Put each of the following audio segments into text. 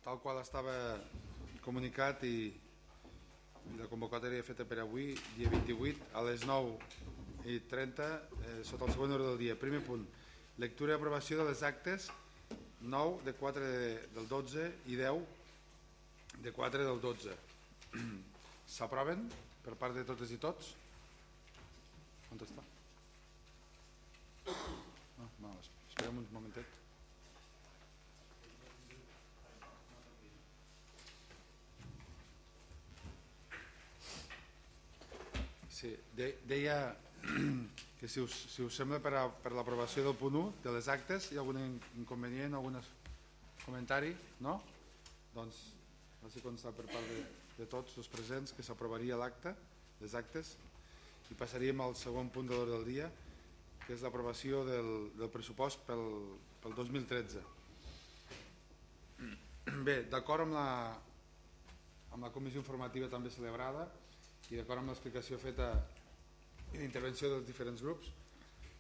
tal qual estava comunicat i la convocatòria feta per avui, dia 28, a les 9:30, sota el següent ordre del dia. Primer punt, lectura i aprovació de les actes 9 de 4 del 12 i 10 de 4 del 12. S'aproven per part de totes i tots? On està? Esperem un momentet. Sí, deia que si us sembla per l'aprovació del punt 1 de les actes, hi ha algun inconvenient, algun comentari? No? Doncs així consta per part de tots els presents que s'aprovaria l'acte, les actes, i passaríem al segon punt de l'ordre del dia, que és l'aprovació del pressupost pel 2013. Bé, d'acord amb la comissió informativa també celebrada i d'acord amb l'explicació feta i l'intervenció dels diferents grups, en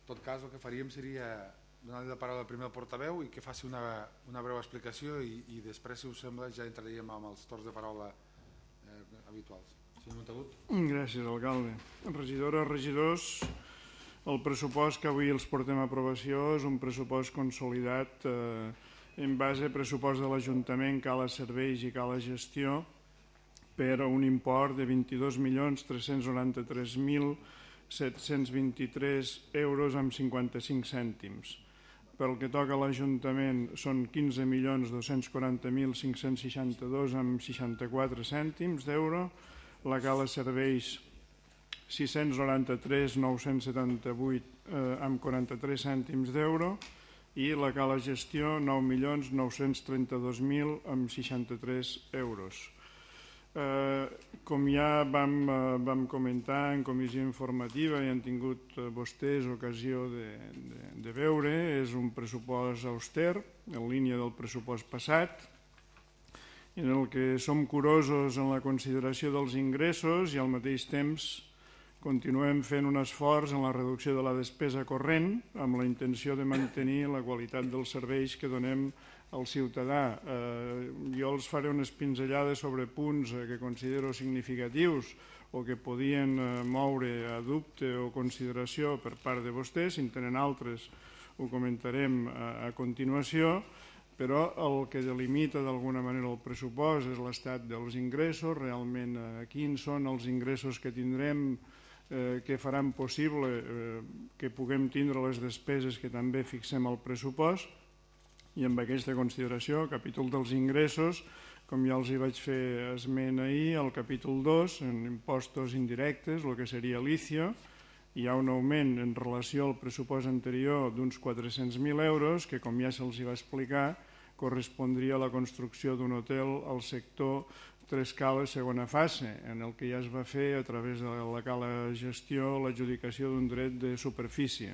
tot cas el que faríem seria donar-li la paraula primer al portaveu i que faci una breu explicació i després, si us sembla, ja entraríem amb els torns de paraula habituals. Senyor Montagut. Gràcies, alcalde. Regidores, regidors, el pressupost que avui els portem a aprovació és un pressupost consolidat en base a pressupost de l'Ajuntament, cala serveis i cala gestió, per un import de 22.393.723 euros amb 55 cèntims. Pel que toca a l'Ajuntament són 15.240.562 amb 64 cèntims d'euro, la cala serveis 693.978 amb 43 cèntims d'euro i la cala gestió 9.932.000 amb 63 euros. Com ja vam comentar en comissió informativa i han tingut vostès ocasió de veure, és un pressupost auster, en línia del pressupost passat, en el que som curosos en la consideració dels ingressos i al mateix temps continuem fent un esforç en la reducció de la despesa corrent amb la intenció de mantenir la qualitat dels serveis que donem al ciutadà. Jo els faré unes pinzellades sobre punts que considero significatius o que podien moure a dubte o consideració per part de vostès. Si en tenen altres ho comentarem a continuació, però el que delimita d'alguna manera el pressupost és l'estat dels ingressos, realment quins són els ingressos que tindrem que faran possible que puguem tindre les despeses que també fixem al pressupost. I amb aquesta consideració, el capítol dels ingressos, com ja els hi vaig fer esment ahir, el capítol 2, en impostos indirectes, el que seria l'ICIO, hi ha un augment en relació al pressupost anterior d'uns 400.000 euros, que com ja se'ls va explicar, correspondria a la construcció d'un hotel al sector Tres Cales segona fase, en el que ja es va fer a través de la cala gestió l'adjudicació d'un dret de superfície.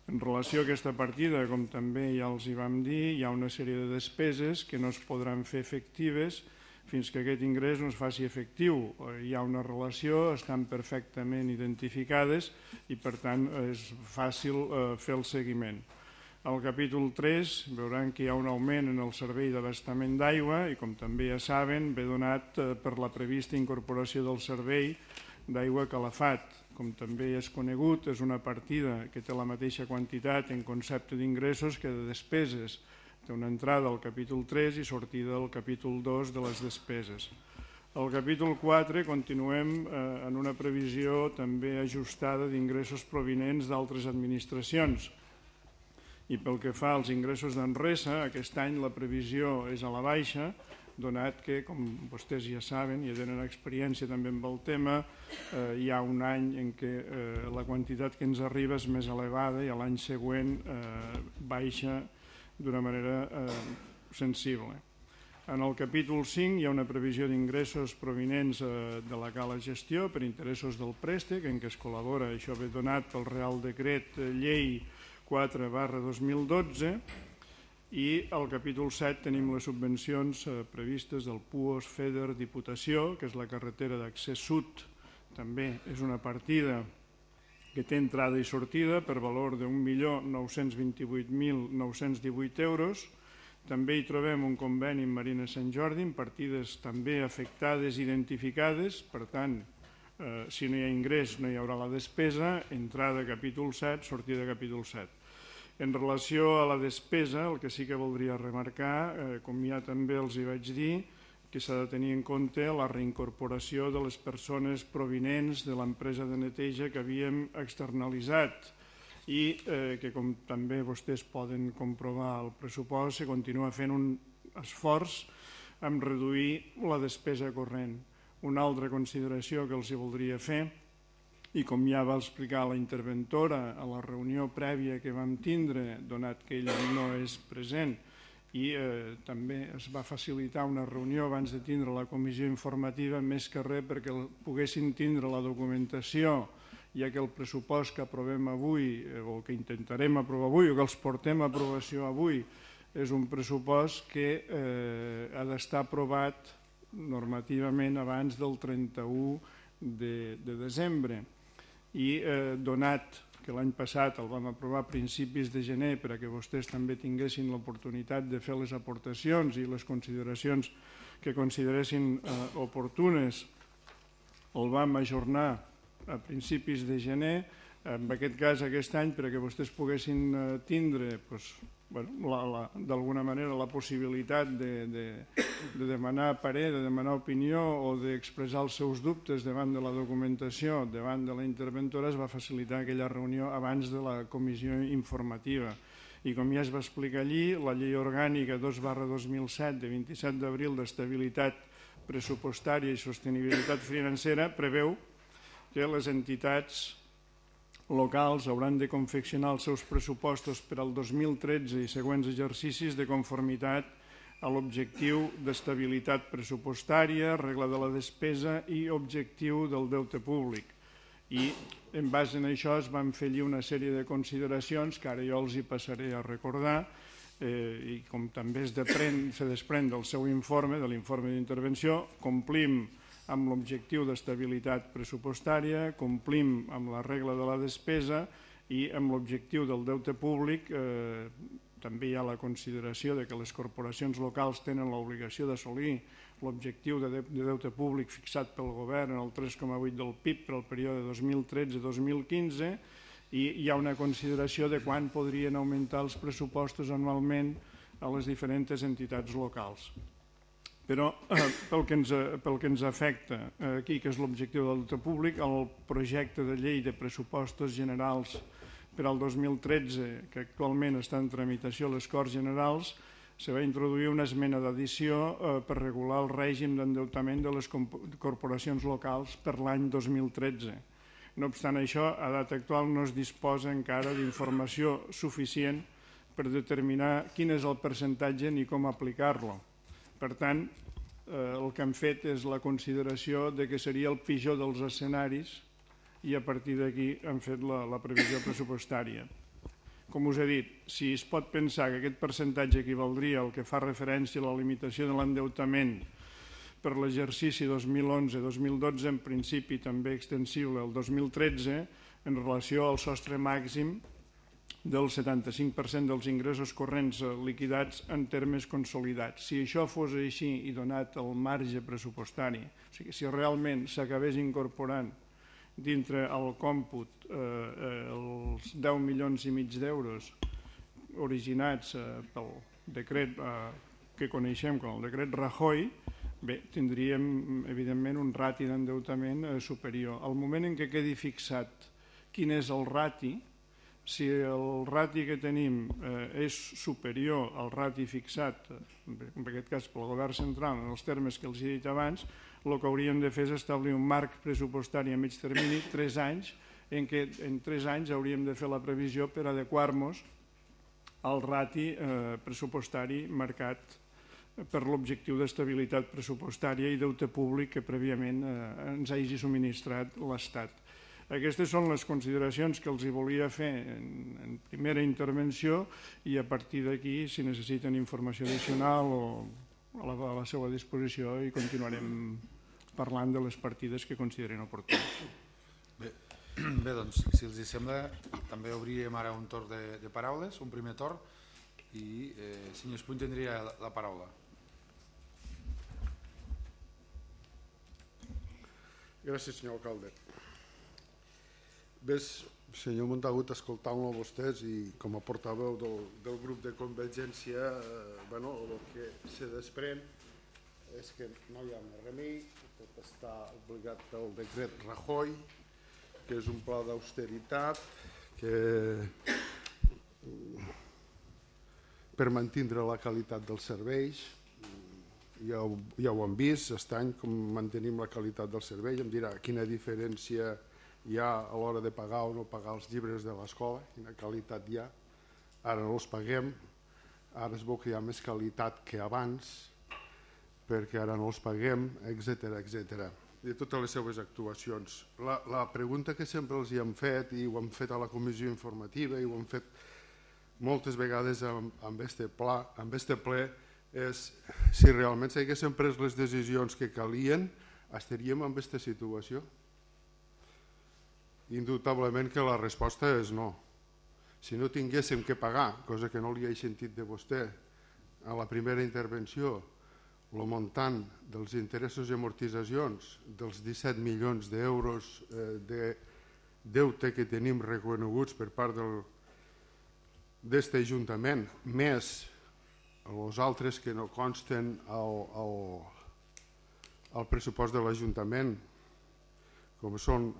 En relació a aquesta partida, com també ja els hi vam dir, hi ha una sèrie de despeses que no es podran fer efectives fins que aquest ingrés no es faci efectiu. Hi ha una relació, estan perfectament identificades i per tant és fàcil fer el seguiment. Al capítol 3 veuran que hi ha un augment en el servei d'abastament d'aigua i com també ja saben ve donat per la prevista incorporació del servei d'aigua calafat. Com també és conegut, és una partida que té la mateixa quantitat en concepte d'ingressos que de despeses. Té una entrada al capítol 3 i sortida al capítol 2 de les despeses. Al capítol 4 continuem en una previsió també ajustada d'ingressos provinents d'altres administracions. I pel que fa als ingressos d'Enresa, aquest any la previsió és a la baixa, donat que, com vostès ja saben i tenen experiència també amb el tema, hi ha un any en què la quantitat que ens arriba és més elevada i l'any següent baixa d'una manera sensible. En el capítol 5 hi ha una previsió d'ingressos provinents de la cala gestió per interessos del préstec, en què es col·labora, això ve donat pel Real Decret Llei 4/2012, i al capítol 7 tenim les subvencions previstes del PUOS, FEDER, Diputació, que és la carretera d'accés sud. També és una partida que té entrada i sortida per valor de 1.928.918 euros. També hi trobem un conveni amb Marina Sant Jordi, amb partides també afectades i identificades, per tant, si no hi ha ingrés no hi haurà la despesa, entrada capítol 7, sortida capítol 7. En relació a la despesa, el que sí que voldria remarcar, com ja també els hi vaig dir, que s'ha de tenir en compte la reincorporació de les persones provinents de l'empresa de neteja que havíem externalitzat i que, com també vostès poden comprovar al pressupost, se continua fent un esforç en reduir la despesa corrent. Una altra consideració que els voldria fer, i com ja va explicar la interventora a la reunió prèvia que vam tindre, donat que ella no és present, i també es va facilitar una reunió abans de tindre la comissió informativa, més que res perquè poguessin tindre la documentació, ja que el pressupost que aprovem avui, o que intentarem aprovar avui, o que els portem a aprovació avui, és un pressupost que ha d'estar aprovat normativament abans del 31 de desembre. I donat que l'any passat el vam aprovar a principis de gener perquè vostès també tinguessin l'oportunitat de fer les aportacions i les consideracions que consideressin oportunes, el vam ajornar a principis de gener, en aquest cas aquest any perquè vostès poguessin tindre d'alguna manera la possibilitat de demanar parer, de demanar opinió o d'expressar els seus dubtes davant de la documentació, davant de la interventora, es va facilitar aquella reunió abans de la comissió informativa. I com ja es va explicar allí, la llei orgànica 2/2007 de 27 d'abril d'estabilitat pressupostària i sostenibilitat financera preveu que les entitats locals hauran de confeccionar els seus pressupostos per al 2013 i següents exercicis de conformitat a l'objectiu d'estabilitat pressupostària, regla de la despesa i objectiu del deute públic. I en base a això es van fer allí una sèrie de consideracions que ara jo els hi passaré a recordar i com també se desprèn del seu informe, de l'informe d'intervenció, complim amb l'objectiu d'estabilitat pressupostària, complim amb la regla de la despesa i amb l'objectiu del deute públic. També hi ha la consideració de que les corporacions locals tenen l'obligació d'assolir l'objectiu de deute públic fixat pel govern en el 3,8 del PIB per al període 2013-2015 i hi ha una consideració de quan podrien augmentar els pressupostos anualment a les diferents entitats locals. Però pel que ens afecta aquí, que és l'objectiu del deute públic, el projecte de llei de pressupostos generals per al 2013, que actualment està en tramitació a les Corts Generals, se va introduir una esmena d'addició per regular el règim d'endeutament de les corporacions locals per l'any 2013. No obstant això, a data actual no es disposa encara d'informació suficient per determinar quin és el percentatge ni com aplicar-lo. Per tant, el que han fet és la consideració de que seria el pitjor dels escenaris i a partir d'aquí han fet la previsió pressupostària. Com us he dit, si es pot pensar que aquest percentatge equivaldria al que fa referència a la limitació de l'endeutament per l'exercici 2011-2012, en principi també extensible al 2013, en relació al sostre màxim del 75% dels ingressos corrents liquidats en termes consolidats. Si això fos així i donat el marge pressupostari, o sigui, si realment s'acabés incorporant dintre el còmput els 10,5 milions d'euros originats pel decret que coneixem com el decret Rajoy, bé, tindríem evidentment un rati d'endeutament superior. Al moment en què quedi fixat quin és el rati, si el rati que tenim és superior al rati fixat, en aquest cas pel govern central, en els termes que els he dit abans, el que hauríem de fer és establir un marc pressupostari a mig termini, 3 anys, en què en 3 anys hauríem de fer la previsió per adequar-nos al rati pressupostari marcat per l'objectiu d'estabilitat pressupostària i deute públic que prèviament ens hagi subministrat l'Estat. Aquestes són les consideracions que els hi volia fer en primera intervenció i a partir d'aquí, si necessiten informació addicional o a la seva disposició, i continuarem parlant de les partides que consideren oportunes. Bé, doncs, si els sembla, també obríem ara un torn de paraules, un primer torn, i senyor Espuny tindria la paraula. Gràcies, senyor alcalde. Ves, senyor Montagut, escoltant-lo a vostès i com a portaveu del grup de Convergència, el que se desprèn és que no hi ha més remei, tot està obligat pel decret Rajoy, que és un pla d'austeritat per mantenir la qualitat dels serveis. Ja ho hem vist, aquest any, com mantenim la qualitat del servei. Em dirà quina diferència hi ha a l'hora de pagar o no pagar els llibres de l'escola, quina qualitat hi ha. Ara no els paguem, ara es veu que hi ha més qualitat que abans, perquè ara no els paguem, etc. I totes les seves actuacions. La pregunta que sempre els hi hem fet, i ho hem fet a la comissió informativa, i ho hem fet moltes vegades amb este ple, és si realment s'haguessin pres les decisions que calien, estaríem en aquesta situació? Indubtablement que la resposta és no. Si no tinguéssim que pagar, cosa que no li he sentit de vostè a la primera intervenció, el muntant dels interessos i amortitzacions dels 17 milions d'euros de deute que tenim reconeguts per part d'aquest Ajuntament, més els altres que no consten al pressupost de l'Ajuntament, com són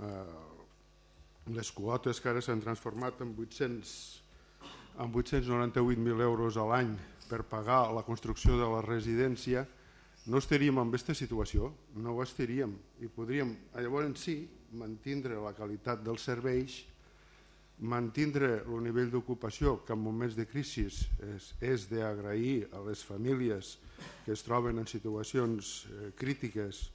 les quotes que ara s'han transformat en 898.000 euros a l'any per pagar la construcció de la residència, no estaríem en aquesta situació, no ho estaríem. I podríem, llavors sí, mantenir la qualitat dels serveis, mantenir el nivell d'ocupació, que en moments de crisi és d'agrair a les famílies que es troben en situacions crítiques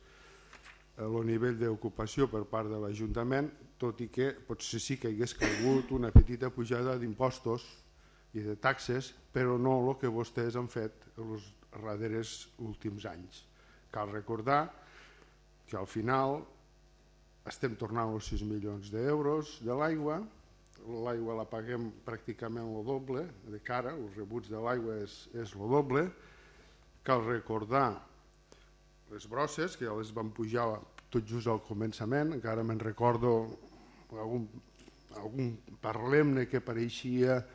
el nivell d'ocupació per part de l'Ajuntament, tot i que potser sí que hi hagués calgut una petita pujada d'impostos i de taxes, però no el que vostès han fet els darrers últims anys. Cal recordar que al final estem tornant els 6 milions d'euros de l'aigua la paguem pràcticament el doble de cara, els rebuts de l'aigua és el doble. Cal recordar les brosses, que ja les van pujar tot just al començament, encara me'n recordo algun parlemne que apareixia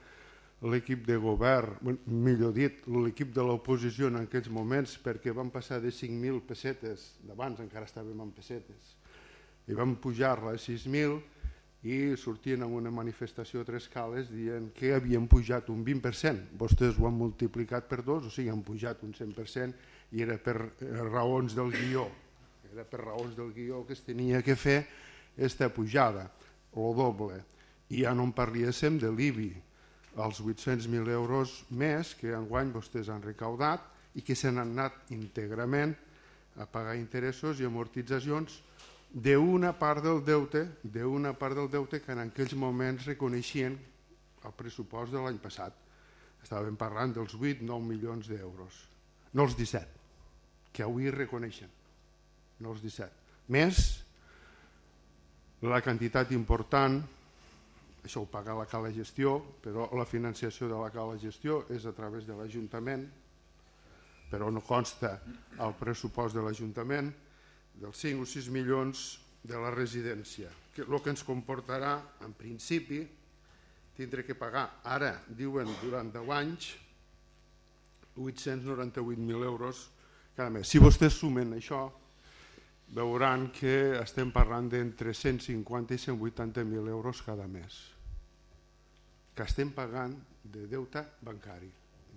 l'equip de govern, millor dit, l'equip de l'oposició en aquells moments, perquè van passar de 5.000 pessetes, d'abans encara estàvem en pessetes, i van pujar-la a 6.000 i sortien en una manifestació a Tres Cales dient que havien pujat un 20%. Vostès ho han multiplicat per 2, o sigui, han pujat un 100% i era per raons del guió. Era per raons del guió que es tenia que fer aquesta pujada, el doble. I ja no en parléssim de l'IBI, els 800.000 euros més que enguany vostès han recaudat i que se n'han anat íntegrament a pagar interessos i amortitzacions d'una part del deute que en aquells moments reconeixien el pressupost de l'any passat. Estàvem parlant dels 8-9 milions d'euros, no els 17, que avui reconeixen, no els 17. Més la quantitat important, això ho paga la Cala Gestió, però la financiació de la Cala Gestió és a través de l'Ajuntament, però no consta al pressupost de l'Ajuntament, dels 5 o 6 milions de la residència, el que ens comportarà, en principi, tindre que pagar, ara, diuen, durant 10 anys, 898.000 euros cada mes. Si vostès sumen això, veuran que estem parlant d'entre 150 i 180.000 euros cada mes, que estem pagant de deute bancari,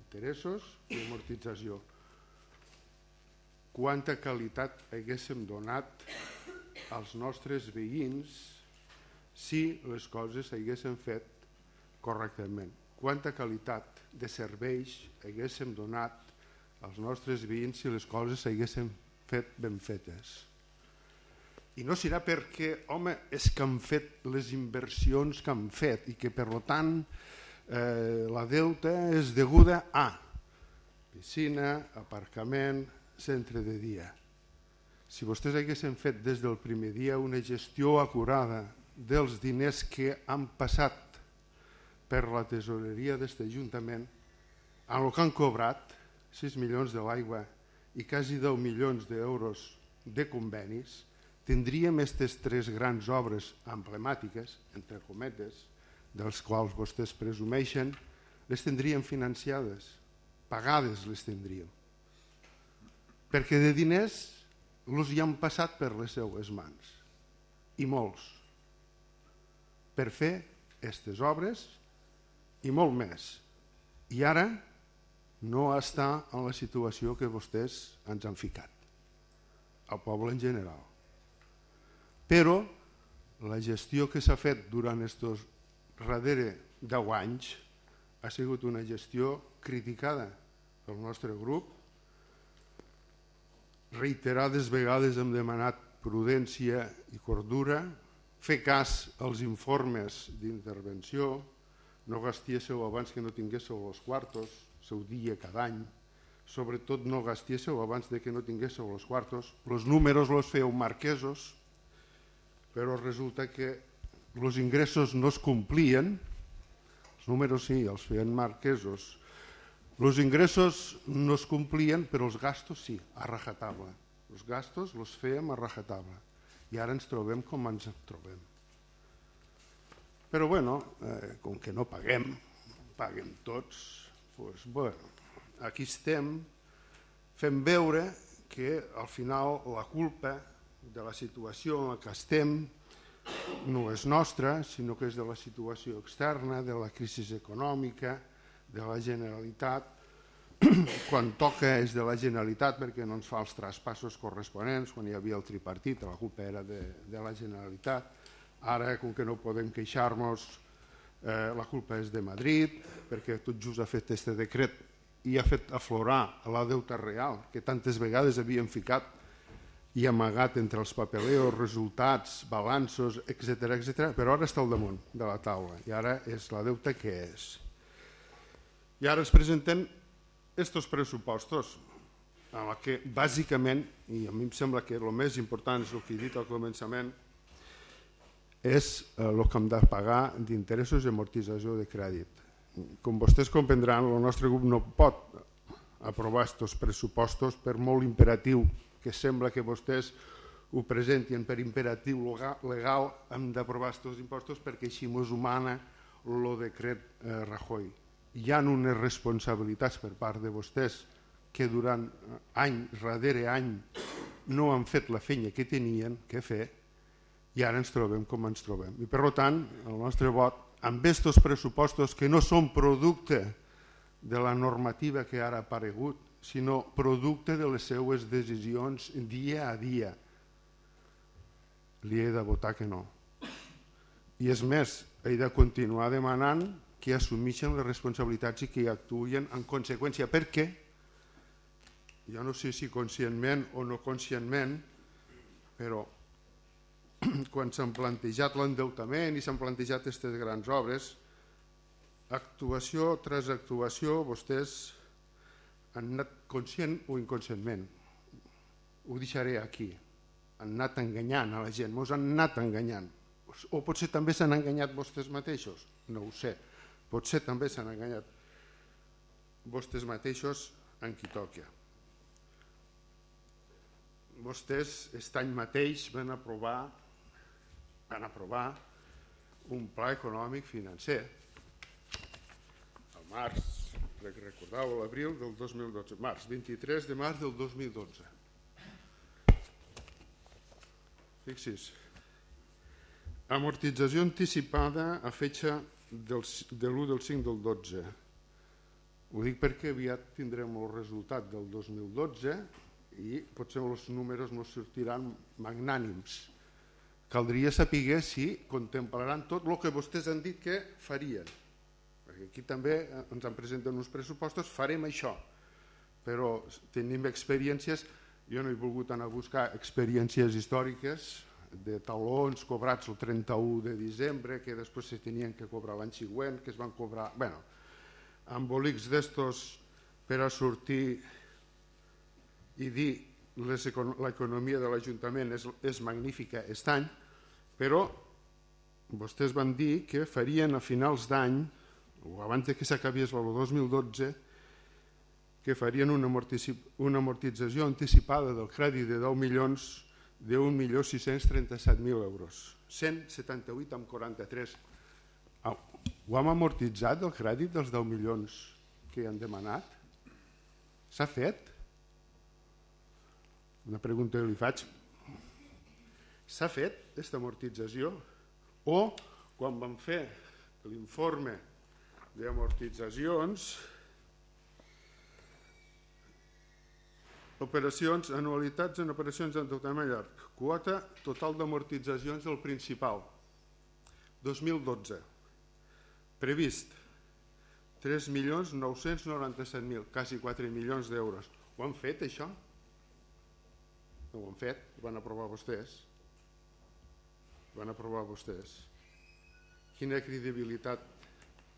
interessos i amortització. Quanta qualitat haguéssim donat als nostres veïns si les coses s'haguessin fet correctament. Quanta qualitat de serveis haguéssim donat als nostres veïns si les coses s'haguessin fet ben fetes. I no serà perquè, home, és que han fet les inversions que han fet i que, per tant, la deuta és deguda a piscina, aparcament, centre de dia. Si vostès haguessin fet des del primer dia una gestió acurada dels diners que han passat per la tesoreria d'aquest Ajuntament, amb el que han cobrat, 6 milions de l'aigua i quasi 10 milions d'euros de convenis, tindríem aquestes 3 grans obres emblemàtiques, entre cometes, dels quals vostès presumeixen, les tindríem financiades, pagades les tindríem. Perquè de diners els hi han passat per les seues mans, i molts, per fer aquestes obres i molt més. I ara no està en la situació que vostès ens han ficat, al poble en general. Però la gestió que s'ha fet durant estos darrere 10 anys ha sigut una gestió criticada pel nostre grup. Reiterades vegades hem demanat prudència i cordura, fer cas als informes d'intervenció, no gastéssiu abans que no tinguéssiu els quartos, seu dia cada any, sobretot no gastéssiu abans que no tinguéssiu els quartos, els números els feu marquesos, però resulta que els ingressos no es complien, els números sí, els feien marquesos, els ingressos no es complien, però els gastos sí, a rajatabla. Els gastos els fèiem a rajatabla i ara ens trobem com ens trobem. Però bueno, com que no paguem tots, doncs bueno, aquí estem, fem veure que al final la culpa de la situació en què estem no és nostra, sinó que és de la situació externa, de la crisi econòmica, de la Generalitat. Quan toca és de la Generalitat perquè no ens fa els traspassos corresponents, quan hi havia el tripartit la culpa era de la Generalitat. Ara, com que no podem queixar-nos, la culpa és de Madrid, perquè tot just ha fet aquest decret i ha fet aflorar la deuta real, que tantes vegades havíem ficat i amagat entre els papeleos, resultats, balanços, etc., però ara està al damunt de la taula i ara és la deuta que és. I ara ens presenten estos pressupostos, en la que bàsicament, i a mi em sembla que el més important és el que he dit al començament, és el que hem de pagar d'interessos i amortització de crèdit. Com vostès comprendran, el nostre grup no pot aprovar aquests pressupostos per molt imperatiu que sembla que vostès ho presentin per imperatiu legal, hem d'aprovar aquests impostos perquè així mos humana el decret Rajoy. Hi ha unes responsabilitats per part de vostès que durant any darrere any no han fet la feina que tenien que fer i ara ens trobem com ens trobem. I per tant, el nostre vot amb aquests pressupostos que no són producte de la normativa que ara ha aparegut, sinó producte de les seues decisions dia a dia, li he de votar que no. I és més, he de continuar demanant que assumeixen les responsabilitats i que actuïn en conseqüència, perquè jo no sé si conscientment o no conscientment, però quan s'han plantejat l'endeutament i s'han plantejat aquestes grans obres, actuació tras actuació, vostès han anat conscient o inconscientment, ho deixaré aquí, han anat enganyant a la gent, ens han anat enganyant, o potser també s'han enganyat vostès mateixos, no ho sé, potser també s'han enganyat vostès mateixos en qui toca. Vostès aquest any mateix van aprovar un pla econòmic financer al març, recordeu, a l'abril del 2012, 23 de març del 2012. Fixi's, amortització anticipada a fetge de l'1 del 5 del 12. Ho dic perquè aviat tindrem el resultat del 2012 i potser els números no sortiran magnànims. Caldria saber si contemplaran tot el que vostès han dit que farien. Perquè aquí també ens han presentat uns pressupostos, farem això, però tenim experiències, jo no he volgut anar a buscar experiències històriques de talons cobrats el 31 de desembre, que després se tenien que cobrar l'any següent, que es van cobrar, bueno, embolics d'estos per a sortir i dir l'economia de l'Ajuntament és magnífica aquest any, però vostès van dir que farien a finals d'any, o abans que s'acabés el 2012, que farien una amortització anticipada del crèdit de 1.637.000 euros. 178,43. Ho hem amortitzat, el crèdit dels 10 milions que han demanat? S'ha fet? Una pregunta que li faig. S'ha fet aquesta amortització? O quan vam fer l'informe d'amortitzacions, operacions, anualitats en operacions d'endeutament llarg, quota total d'amortitzacions del principal, 2012, previst 3.997.000, quasi 4 milions d'euros. Ho han fet, això? No ho han fet, ho van aprovar vostès. Ho van aprovar vostès. Quina credibilitat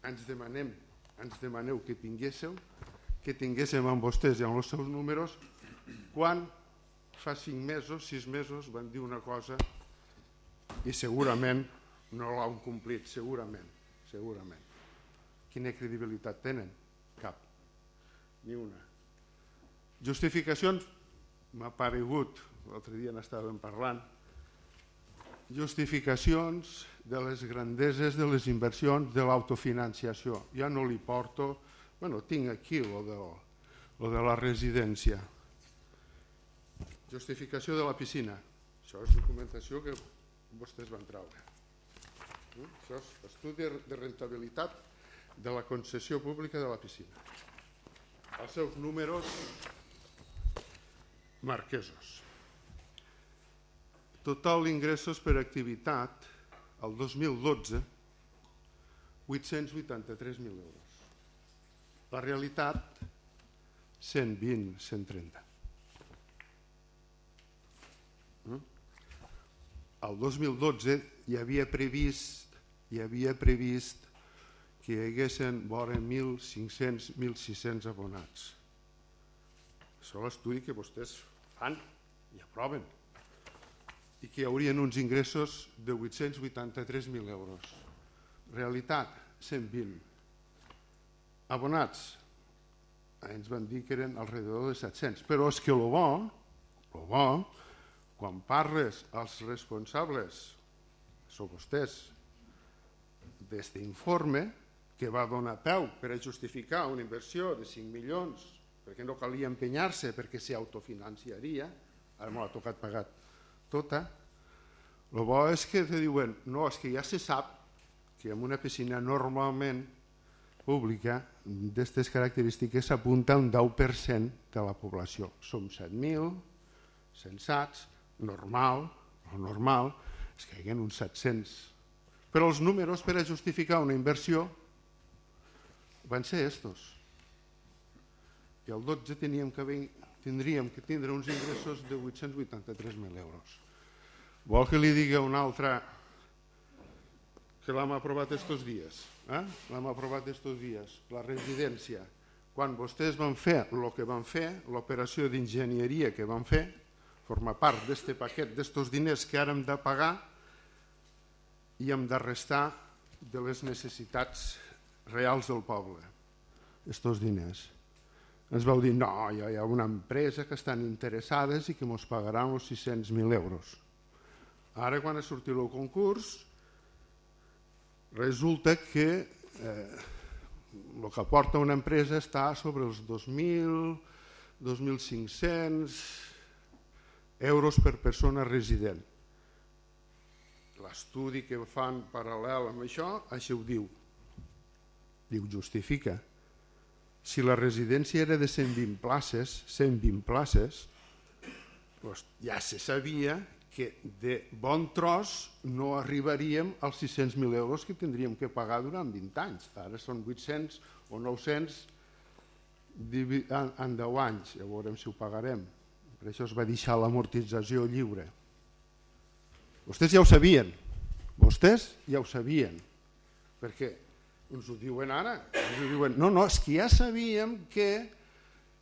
ens demaneu que tinguéssem amb vostès i amb els seus números quan fa 5 mesos, 6 mesos van dir una cosa i segurament no l'han complit, segurament. Quina credibilitat tenen? Cap, ni una. Justificacions, m'ha paregut, l'altre dia n'estàvem parlant, justificacions de les grandeses de les inversions de l'autofinanciació. Ja no li porto, tinc aquí lo de la residència. Justificació de la piscina. Això és documentació que vostès van treure. Això és estudi de rentabilitat de la concessió pública de la piscina. Els seus números marquesos. Total d'ingressos per activitat el 2012, 883.000 euros. La realitat, 120, 130. El 2012 hi havia previst que hi haguessin vora 1.500, 1.600 abonats. Això és l'estudi que vostès fan i aproven. I que hi haurien uns ingressos de 883.000 euros. Realitat, 120. Abonats, ens van dir que eren alrededor de 700. Però és que el bo, quan parles als responsables, són vostès, d'aquest informe, que va donar peu per a justificar una inversió de 5 milions, perquè no calia empenyar-se, perquè s'autofinanciaria, ara m'ho ha tocat pagar tota, el bo és que te diuen, no, és que ja se sap que en una piscina normalment pública d'aquestes característiques s'apunta un 10% de la població. Som 7.000, sensats, normal és que hi haguen uns 700. Però els números per a justificar una inversió van ser estos. I el 12 tindríem que tindre uns ingressos de 883.000 euros. Vol que li digui una altra que l'hem aprovat estos dies? L'hem aprovat estos dies, la residència. Quan vostès van fer el que van fer, l'operació d'enginyeria que van fer, forma part d'aquest paquet, d'estos diners que ara hem de pagar i hem de restar de les necessitats reals del poble, estos diners. Ens vau dir, no, hi ha una empresa que estan interessades i que ens pagaran els 600.000 euros. Ara, quan ha sortit el concurs, resulta que el que aporta una empresa està sobre els 2.000, 2.500 euros per persona resident. L'estudi que fan paral·lel amb això, això ho diu. Diu, justifica. Si la residència era de 120 places, doncs ja se sabia que de bon tros no arribaríem als 600.000 euros que tindríem que pagar durant 20 anys. Ara són 800 o 900 en 10 anys, ja veurem si ho pagarem. Per això es va deixar l'amortització lliure. Vostès ja ho sabien, perquè ens ho diuen ara, no, és que ja sabíem que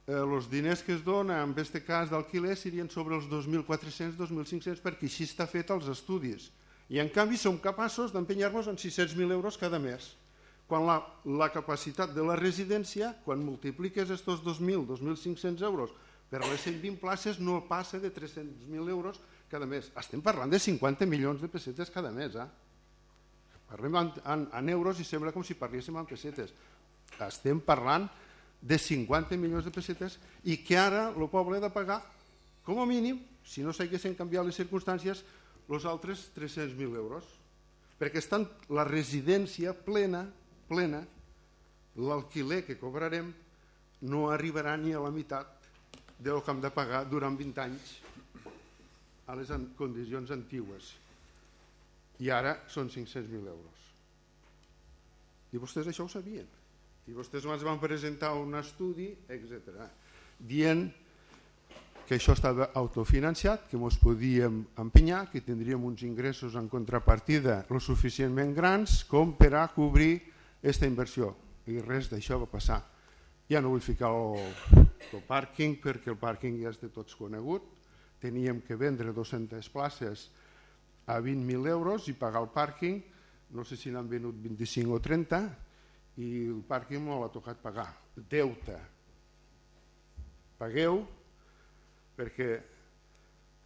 els diners que es donen en aquest cas d'alquiler serien sobre els 2.400, 2.500, perquè així està fet els estudis. I en canvi som capaços d'empenyar-nos en 600.000 euros cada mes. quan la capacitat de la residència, quan multipliques estos 2.000, 2.500 euros per les 120 places, no passa de 300.000 euros cada mes. Estem parlant de 50 milions de pessetes cada mes. Parlem en euros i sembla com si parléssim en pessetes. Estem parlant de 50 milions de pessetes i que ara el poble ha de pagar, com a mínim, si no s'haguessin canviat les circumstàncies, els altres 300.000 euros. Perquè estan la residència plena, l'alquiler que cobrarem no arribarà ni a la meitat del que hem de pagar durant 20 anys a les condicions antigues. I ara són 500.000 euros. I vostès això ho sabien. I vostès ens van presentar un estudi, etc., dient que això estava autofinanciat, que ens podíem empenyar, que tindríem uns ingressos en contrapartida lo suficientment grans com per a cobrir aquesta inversió. I res d'això va passar. Ja no vull ficar el pàrquing, perquè el pàrquing ja és de tots conegut. Teníem que vendre 200 places a 20.000 euros i pagar el pàrquing, no sé si n'han venut 25 o 30, i el pàrquing no l'ha tocat pagar. Deute. Pagueu, perquè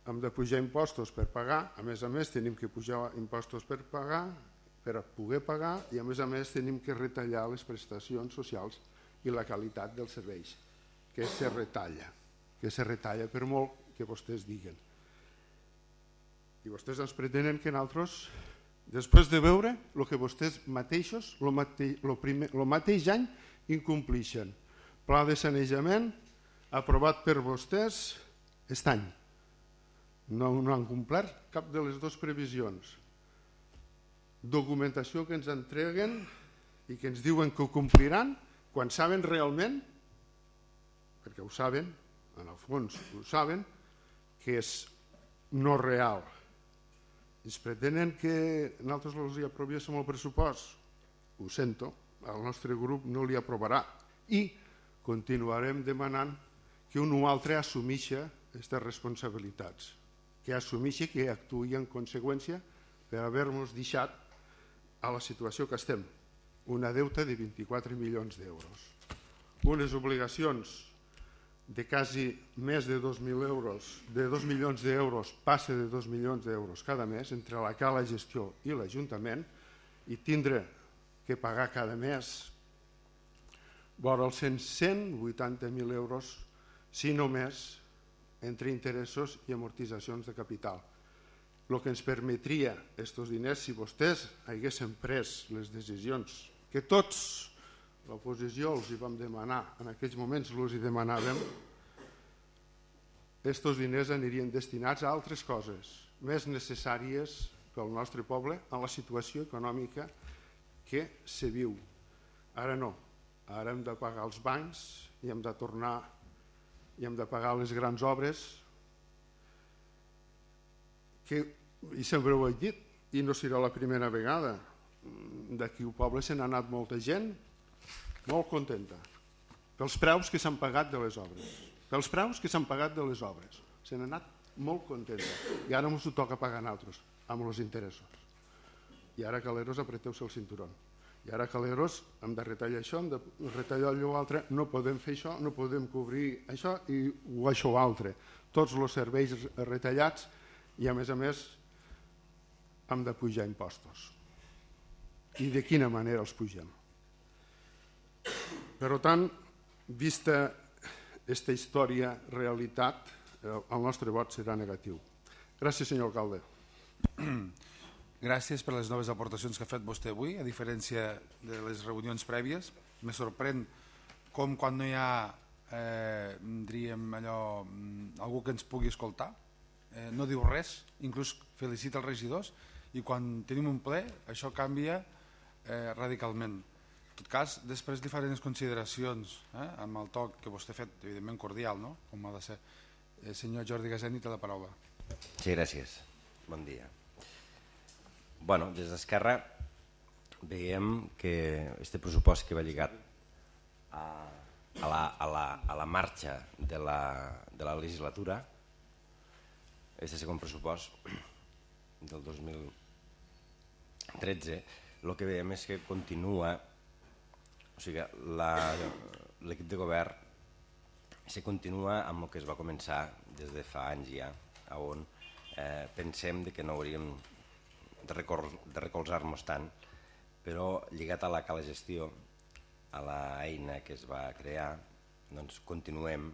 hem de pujar impostos per pagar, a més tenim que pujar impostos per pagar, per poder pagar, i a més tenim que retallar les prestacions socials i la qualitat dels serveis, que se retalla per molt que vostès diguen. I vostès ens pretenen que nosaltres, després de veure el que vostès mateixos el mateix any incomplixen. Pla de sanejament aprovat per vostès aquest any. No han complert cap de les dues previsions. Documentació que ens entreguen i que ens diuen que ho compliran quan saben realment, perquè ho saben, en el fons ho saben, que és no real. Ens pretenen que nosaltres els aprovéssim el pressupost. Ho sento, el nostre grup no li aprovarà i continuarem demanant que un o altre assumeixi aquestes responsabilitats, que assumeixi, que actuï en conseqüència per haver-nos deixat a la situació que estem, una deuta de 24 milions d'euros, unes obligacions de quasi més de 2.000 euros, de 2 milions d'euros, passa de 2 milions d'euros cada mes entre la cala gestió i l'Ajuntament, i tindre que pagar cada mes vora els 180.000 euros, si no més, entre interessos i amortitzacions de capital. El que ens permetria aquests diners, si vostès haguessin pres les decisions que tots, l'oposició, els hi vam demanar, en aquells moments els hi demanàvem, aquests diners anirien destinats a altres coses més necessàries pel nostre poble en la situació econòmica que se viu. Ara no, ara hem de pagar els bancs i hem de tornar i hem de pagar les grans obres que, i sempre ho he dit, i no serà la primera vegada, d'aquí al poble se n'ha anat molta gent molt contenta pels preus que s'han pagat de les obres, se n'ha anat molt contenta, i ara ens ho toca pagar a nosaltres amb els interessos, i ara caleros apreteu-se el cinturó, i ara caleros hem de retallar això, hem de retallar allò altre, no podem fer això, no podem cobrir això i això altre, tots els serveis retallats, i a més hem de pujar impostos. I de quina manera els pugem? Per tant, vista aquesta història, realitat, el nostre vot serà negatiu. Gràcies, senyor alcalde. Gràcies per les noves aportacions que ha fet vostè avui, a diferència de les reunions prèvies. Me sorprèn com quan no hi ha diríem allò, algú que ens pugui escoltar, no diu res, inclús felicita els regidors, i quan tenim un ple això canvia radicalment. En tot cas, després li faré unes consideracions amb el toc que vostè ha fet, evidentment cordial, no? Com ha de ser. Senyor Jordi Gaseni, té la paraula. Sí, gràcies. Bon dia. Bueno, des d'Esquerra veiem que aquest pressupost que va lligat a la marxa de la legislatura, aquest segon pressupost del 2013, el que veiem és que continua O sigui, l'equip de govern se continua amb el que es va començar des de fa anys ja, on pensem que no hauríem de recolzar-nos tant, però lligat a la cala gestió, a l'eina que es va crear, doncs continuem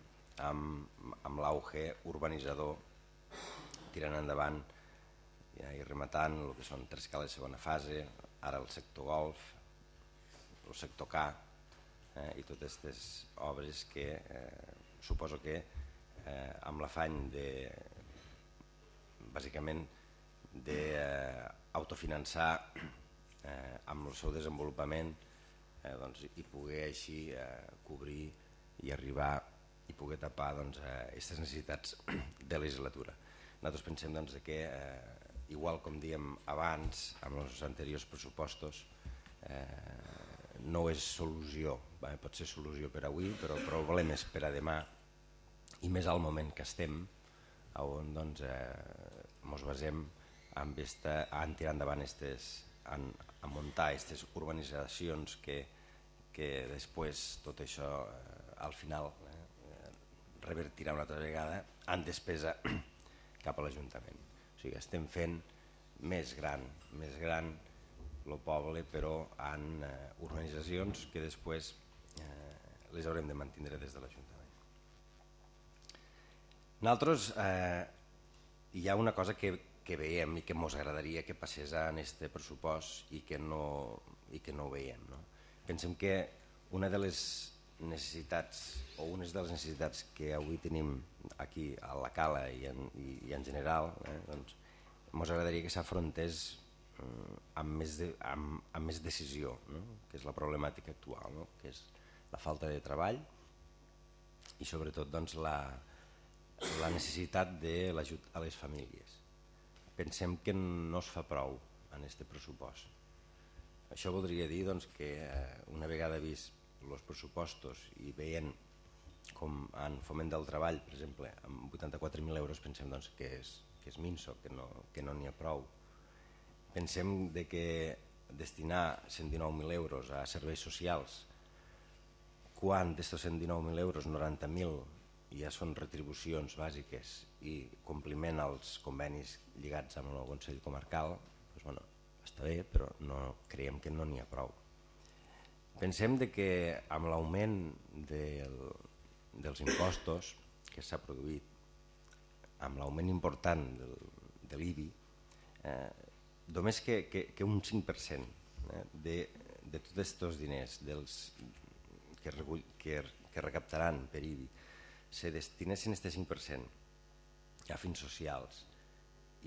amb l'auge urbanitzador, tirant endavant i rematant el que són 3 cales de segona fase, ara el sector golf, el sector K, i totes aquestes obres que suposo que amb l'afany bàsicament d'autofinançar amb el seu desenvolupament i poder així cobrir i arribar i poder tapar aquestes necessitats de legislatura. Nosaltres pensem que, igual com diem abans, amb els anteriors pressupostos, no és solució, pot ser solució per avui, però el problema és per a demà, i més al moment que estem, on ens basem en tirar endavant a muntar aquestes urbanitzacions que després tot això al final revertirà una altra vegada en despesa cap a l'Ajuntament. O sigui, estem fent més gran el poble, però en urbanitzacions que després les haurem de mantenir des de l'Ajuntament. Nosaltres hi ha una cosa que veiem i que ens agradaria que passés en aquest pressupost i que no ho veiem. Pensem que una de les necessitats o unes de les necessitats que avui tenim aquí a la Cala i en general, ens agradaria que s'afrontés amb més decisió, que és la problemàtica actual, que és la falta de treball i sobretot la necessitat de l'ajut a les famílies. Pensem que no es fa prou en aquest pressupost. Això voldria dir que una vegada vist els pressupostos i veient com en foment del treball, per exemple, amb 84.000 euros pensem que és minso, que no n'hi ha prou. Pensem que destinar 119.000 euros a serveis socials, quan d'aquests 119.000 euros 90.000 ja són retribucions bàsiques i compliment als convenis lligats amb el Consell Comarcal, està bé, però creiem que no n'hi ha prou. Pensem que amb l'augment dels impostos que s'ha produït, amb l'augment important de l'IBI, només que un 5% de tots aquests diners que recaptaran per IBI se destinessin aquest 5% a fins socials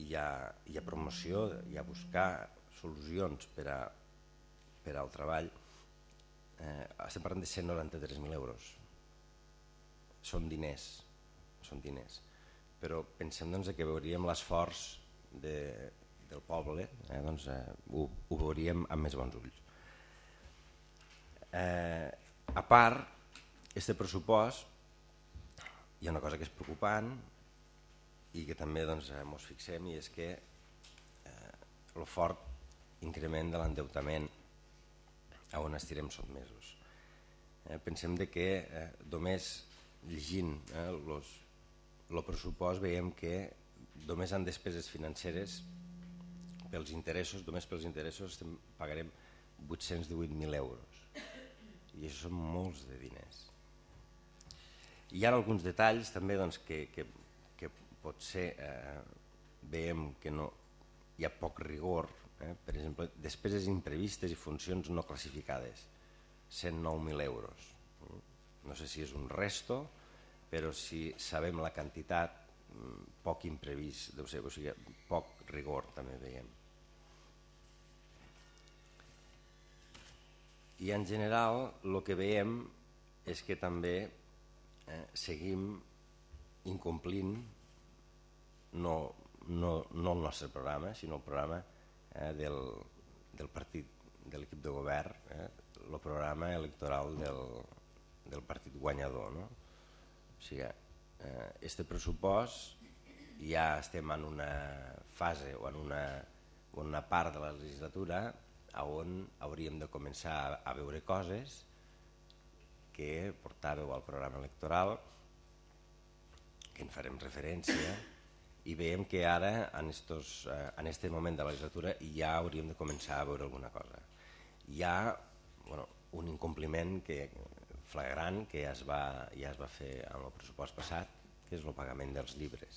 i a promoció i a buscar solucions per al treball, estem parlant de 193.000 euros. Són diners, però pensem que veuríem l'esforç del poble, ho veuríem amb més bons ulls. A part, aquest pressupost, hi ha una cosa que és preocupant i que també ens fixem, i és que el fort increment de l'endeutament on estirem sotmesos. Pensem que només llegint el pressupost veiem que només en despeses financeres pels interessos, només pels interessos pagarem 818.000 euros i això són molts de diners. Hi ha alguns detalls també que potser veiem que hi ha poc rigor, per exemple, despeses imprevistes i funcions no classificades, 109.000 euros. No sé si és un resto, però si sabem la quantitat, poc imprevist, deu ser, o sigui, poc rigor també veiem. I en general el que veiem és que també seguim incomplint no el nostre programa, sinó el programa del partit, de l'equip de govern, el programa electoral del partit guanyador. O sigui, aquest pressupost ja estem en una fase o en una part de la legislatura on hauríem de començar a veure coses que portàveu al programa electoral, que en farem referència, i veiem que ara, en aquest moment de la legislatura, ja hauríem de començar a veure alguna cosa. Hi ha un incompliment flagrant que ja es va fer amb el pressupost passat, que és el pagament dels llibres.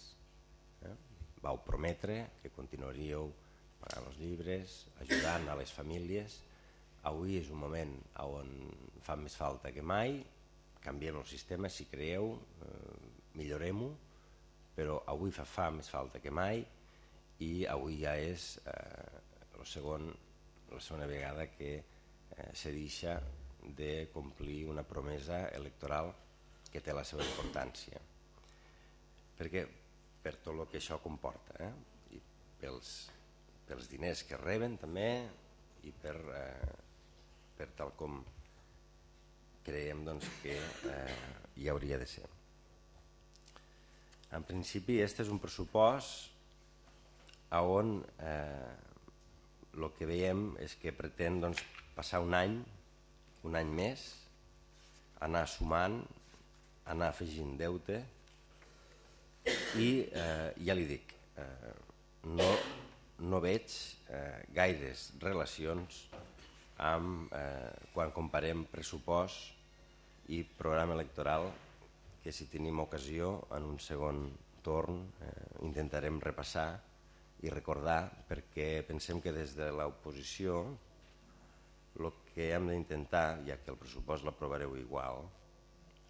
Vau prometre que continuaríeu pagant els llibres, ajudant a les famílies. Avui és un moment on fa més falta que mai, canviem el sistema si creieu, millorem-ho, però avui fa més falta que mai i avui ja és la segona vegada que se deixa de complir una promesa electoral que té la seva importància. Perquè per tot el que això comporta, i pels diners que reben també i per tal com creiem que hi hauria de ser. En principi, aquest és un pressupost on el que veiem és que pretén passar un any més, anar sumant, anar afegint deute i ja li dic, no veig gaires relacions quan comparem pressupost i programa electoral, que si tenim ocasió en un segon torn intentarem repassar i recordar, perquè pensem que des de l'oposició el que hem d'intentar, ja que el pressupost l'aprovareu igual,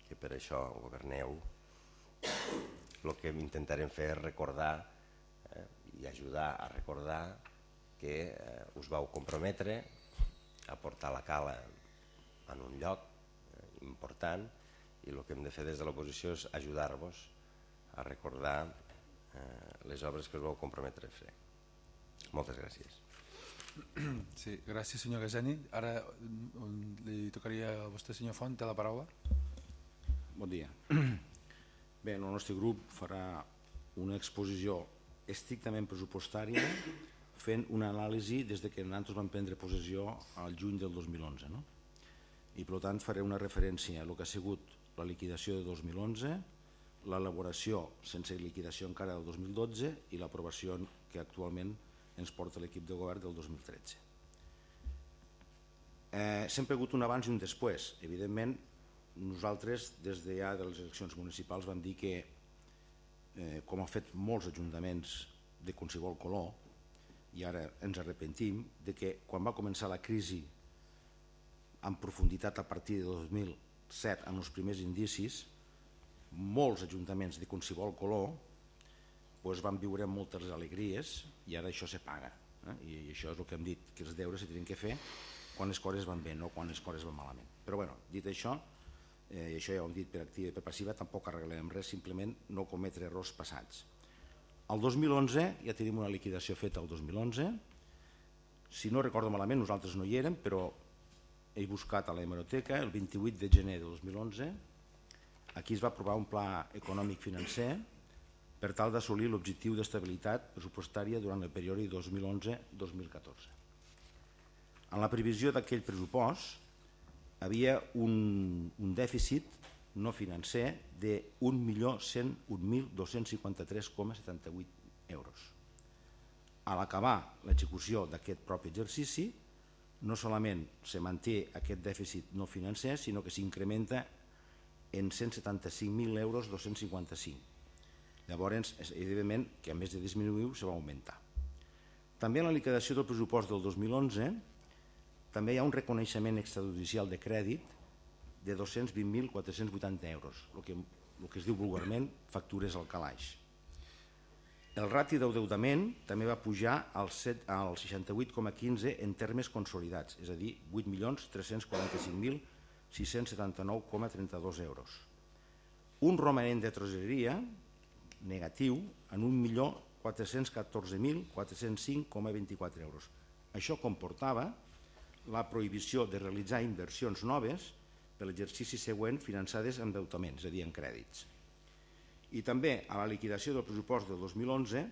que per això governeu, el que intentarem fer és recordar i ajudar a recordar que us vau comprometre a portar la cala en un lloc important i el que hem de fer des de l'oposició és ajudar-vos a recordar les obres que us vau comprometre a fer. Moltes gràcies. Sí, gràcies senyor Gaseni. Ara li tocaria a vostè, senyor Font, té la paraula. Bon dia. Bé, el nostre grup farà una exposició estrictament pressupostària fent una anàlisi des que nosaltres vam prendre possessió al juny del 2011. I per tant faré una referència a el que ha sigut la liquidació de 2011, l'elaboració sense liquidació encara del 2012 i l'aprovació que actualment ens porta l'equip de govern del 2013. Sempre ha hagut un abans i un després. Evidentment, nosaltres des de ja de les eleccions municipals vam dir que, com han fet molts ajuntaments de qualsevol color, i ara ens arrepentim, de que quan va començar la crisi en profunditat a partir de 2007, en els primers indicis, molts ajuntaments de qualsevol color van viure moltes alegries i ara això se paga. I això és el que hem dit, que els deures se tenen que fer quan les coses van bé, no quan les coses van malament. Però dit això, i això ja ho hem dit per activa i per passiva, tampoc arreglarem res, simplement no cometre errors passats. El 2011 ja tenim una liquidació feta el 2011, si no recordo malament nosaltres no hi érem, però he buscat a la hemeroteca el 28 de gener de 2011, aquí es va aprovar un pla econòmic financer per tal d'assolir l'objectiu d'estabilitat pressupostària durant el període 2011-2014. En la previsió d'aquell pressupost havia un dèficit no financer de 1.101.253,78 euros. A l'acabar l'execució d'aquest propi exercici, no solament se manté aquest dèficit no financer, sinó que s'incrementa en 175.000 euros 255. Llavors, evidentment, que a més de disminuir, se va augmentar. També en la liquidació del pressupost del 2011 també hi ha un reconeixement extrajudicial de crèdit de 220.480 euros, el que es diu vulgarment factures al calaix. El rati d'endeutament també va pujar al 68,15 en termes consolidats, és a dir, 8.345.679,32 euros. Un romanent de tresoreria negatiu en 1.414.405,24 euros. Això comportava la prohibició de realitzar inversions noves per l'exercici següent finançades en endeutaments, és a dir, en crèdits. I també a la liquidació del pressupost del 2011,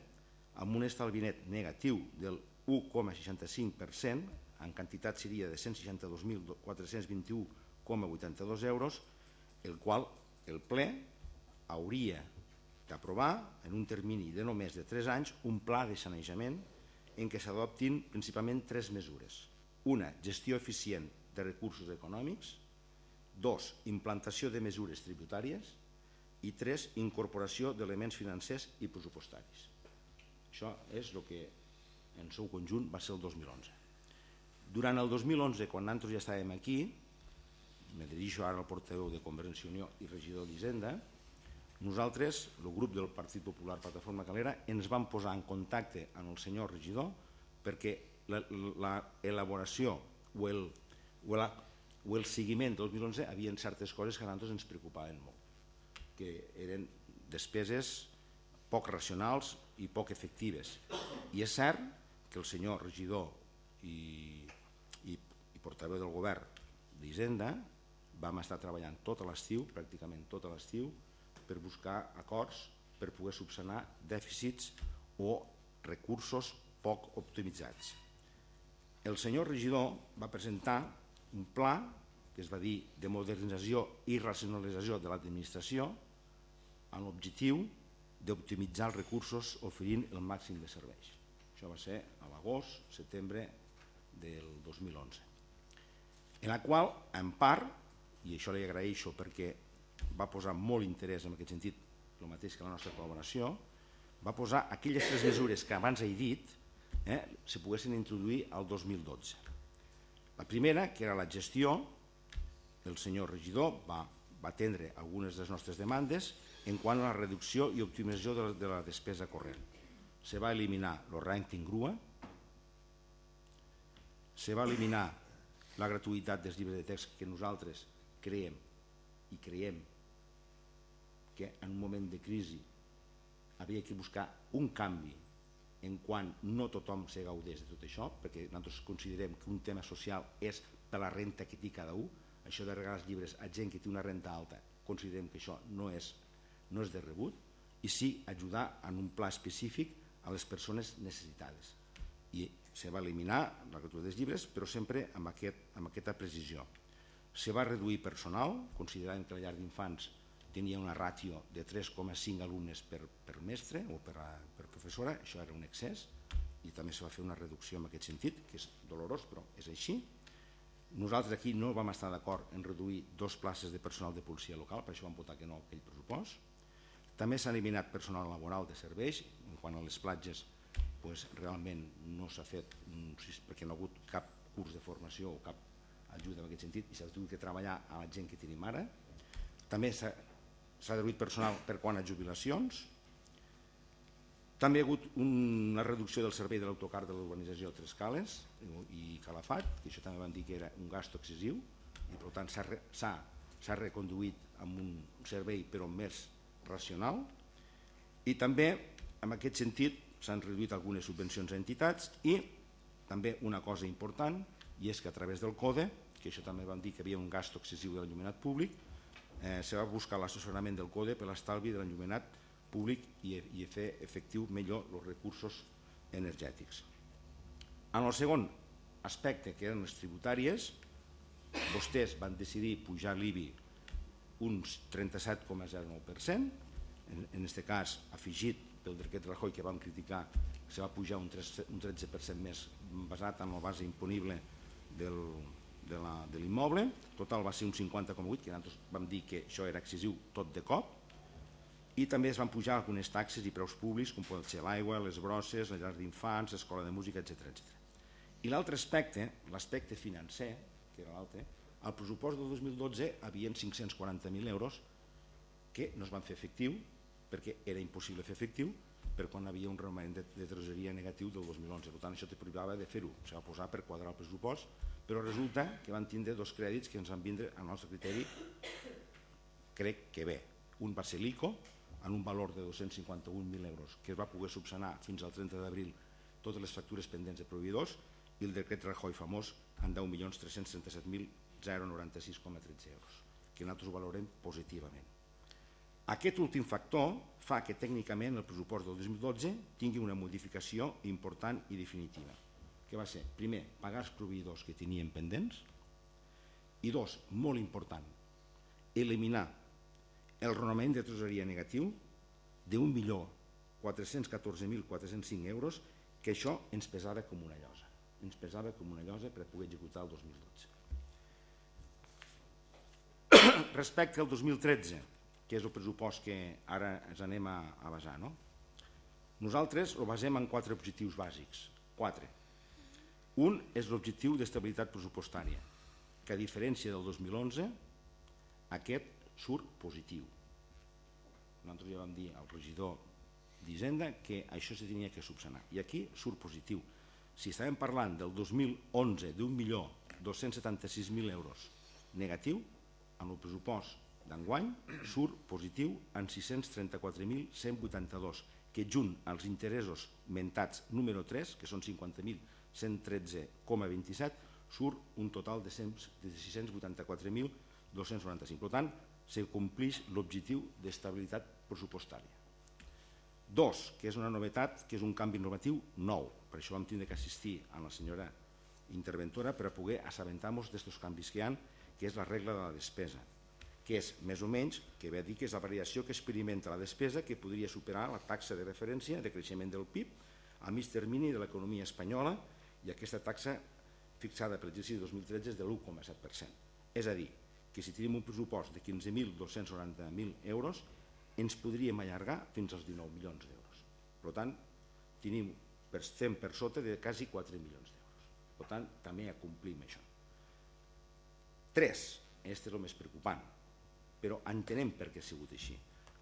amb un estalvi net negatiu del 1,65%, en quantitat seria de 162.421,93 1.082 euros, el qual el ple hauria d'aprovar en un termini de només de 3 anys un pla de sanejament en què s'adoptin principalment 3 mesures. Una, gestió eficient de recursos econòmics. 2, implantació de mesures tributàries. I 3, incorporació d'elements financers i pressupostaris. Això és el que en seu conjunt va ser el 2011. Durant el 2011, quan nosaltres ja estàvem aquí, me dirigeixo ara al portaveu de Convergència i Unió i regidor d'Hisenda, nosaltres, el grup del Partit Popular Plataforma Calera, ens vam posar en contacte amb el senyor regidor perquè l'elaboració o el seguiment del 2011 havia certes coses que a nosaltres ens preocupaven molt, que eren despeses poc racionals i poc efectives. I és cert que el senyor regidor i portaveu del govern d'Hisenda vam estar treballant tot l'estiu, pràcticament tot l'estiu, per buscar acords per poder subsanar dèficits o recursos poc optimitzats. El senyor regidor va presentar un pla que es va dir de modernització i racionalització de l'administració amb l'objectiu d'optimitzar els recursos oferint el màxim de serveis. Això va ser a l'agost, setembre del 2011. En la qual, en part, i això li agraeixo perquè va posar molt interès en aquest sentit, el mateix que la nostra col·laboració, va posar aquelles 3 mesures que abans he dit se poguessin introduir al 2012. La primera, que era la gestió, el senyor regidor va atendre algunes de les nostres demandes en quant a la reducció i optimització de la despesa corrent. Se va eliminar el rànquing grua, se va eliminar la gratuïtat dels llibres de text que nosaltres creiem que en un moment de crisi havia de buscar un canvi en quan no tothom se gaudés de tot això, perquè nosaltres considerem que un tema social és per la renta que té cada un. Això de regalar els llibres a gent que té una renta alta, considerem que això no és de rebut, i sí ajudar en un pla específic a les persones necessitades. I se va eliminar la gratuïtat dels llibres, però sempre amb aquesta precisió. Se va reduir personal, considerant que la llar d'infants tenia una ràtio de 3,5 alumnes per mestre o per professora, això era un excés, i també se va fer una reducció en aquest sentit, que és dolorós, però és així. Nosaltres aquí no vam estar d'acord en reduir 2 places de personal de policia local, per això vam votar que no a aquell pressupost. També s'ha eliminat personal laboral de serveis, en quant a les platges realment no s'ha fet, perquè no ha hagut cap curs de formació o cap ajuda en aquest sentit, i s'ha hagut de treballar a la gent que tenim ara. També s'ha reduït personal per quant a jubilacions. També hi ha hagut una reducció del servei de l'autocar de l'urbanització Tres Cales i Calafat, que això també van dir que era un gasto excessiu, i per tant s'ha reconduït amb un servei però més racional. I també en aquest sentit s'han reduït algunes subvencions a entitats, i també una cosa important, i és que a través del CODE, que això també vam dir que hi havia un gasto excessiu de l'enllumenat públic, se va buscar l'assessorament del CODE per l'estalvi de l'enllumenat públic i fer efectiu millor els recursos energètics. En el segon aspecte, que eren les tributàries, vostès van decidir pujar l'IBI uns 37,09%, en aquest cas afegit pel decret Rajoy, que vam criticar, se va pujar un 13% més basat en la base imponible de l'immoble. Total va ser un 50,8%, que nosaltres vam dir que això era excessiu tot de cop, i també es van pujar algunes taxes i preus públics, com poden ser l'aigua, les brosses, la llar d'infants, l'escola de música, etc. I l'altre aspecte, l'aspecte financer, que era l'altre, al pressupost del 2012 hi havia 540.000 euros que no es van fer efectiu, perquè era impossible fer efectiu per quan hi havia un romanent de tresoreria negatiu del 2011. Per tant, això te privava de fer-ho. Se va posar per quadrar el pressupost, però resulta que van tindre 2 crèdits que ens van vindre, al nostre criteri, crec que bé. Un va ser l'ICO, en un valor de 251.000 euros, que es va poder subsanar fins al 30 d'abril totes les factures pendents de proveïdors, i el decret Rajoy famós en 10.337.096,13 euros, que nosaltres ho valorem positivament. Aquest últim factor fa que tècnicament el pressupost del 2012 tingui una modificació important i definitiva, que va ser, primer, pagar els proveïdors que tenien pendents, I dos, molt important, eliminar el raonament de tresoreria negatiu de 1.414.405 euros, que això ens pesava com una llosa. Ens pesava com una llosa per poder executar el 2012. Respecte al 2013, que és el pressupost que ara ens anem a basar, no? Nosaltres ho basem en 4 objectius bàsics. 4. Un és l'objectiu d'estabilitat pressupostària, que a diferència del 2011, aquest surt positiu. Nosaltres ja vam dir al regidor d'Hisenda que això se tenia que subsanar. I aquí surt positiu. Si estàvem parlant del 2011 d'1.276.000 euros negatiu, amb el pressupost d'enguany surt positiu en 634.182, que junt als interessos mentats número 3, que són 50.113,27, surt un total de 684.295. Per tant, se compleix l'objectiu d'estabilitat pressupostària. 2, que és una novetat, que és un canvi normatiu nou. Per això vam tindre que assistir a la senyora interventora per a poder assabentar-nos d'aquests canvis que hi ha, que és la regla de la despesa, que és més o menys, que ve a dir que és la variació que experimenta la despesa, que podria superar la taxa de referència de creixement del PIB a mig termini de l'economia espanyola, i aquesta taxa fixada per l'exercici 2013 és de l'1,7%. És a dir, que si tenim un pressupost de 15.290.000 euros, ens podríem allargar fins als 19 milions d'euros. Per tant, estem per sota de quasi 4 milions d'euros. Per tant, també acomplim això. 3, aquest és el més preocupant, però entenem per què ha sigut així.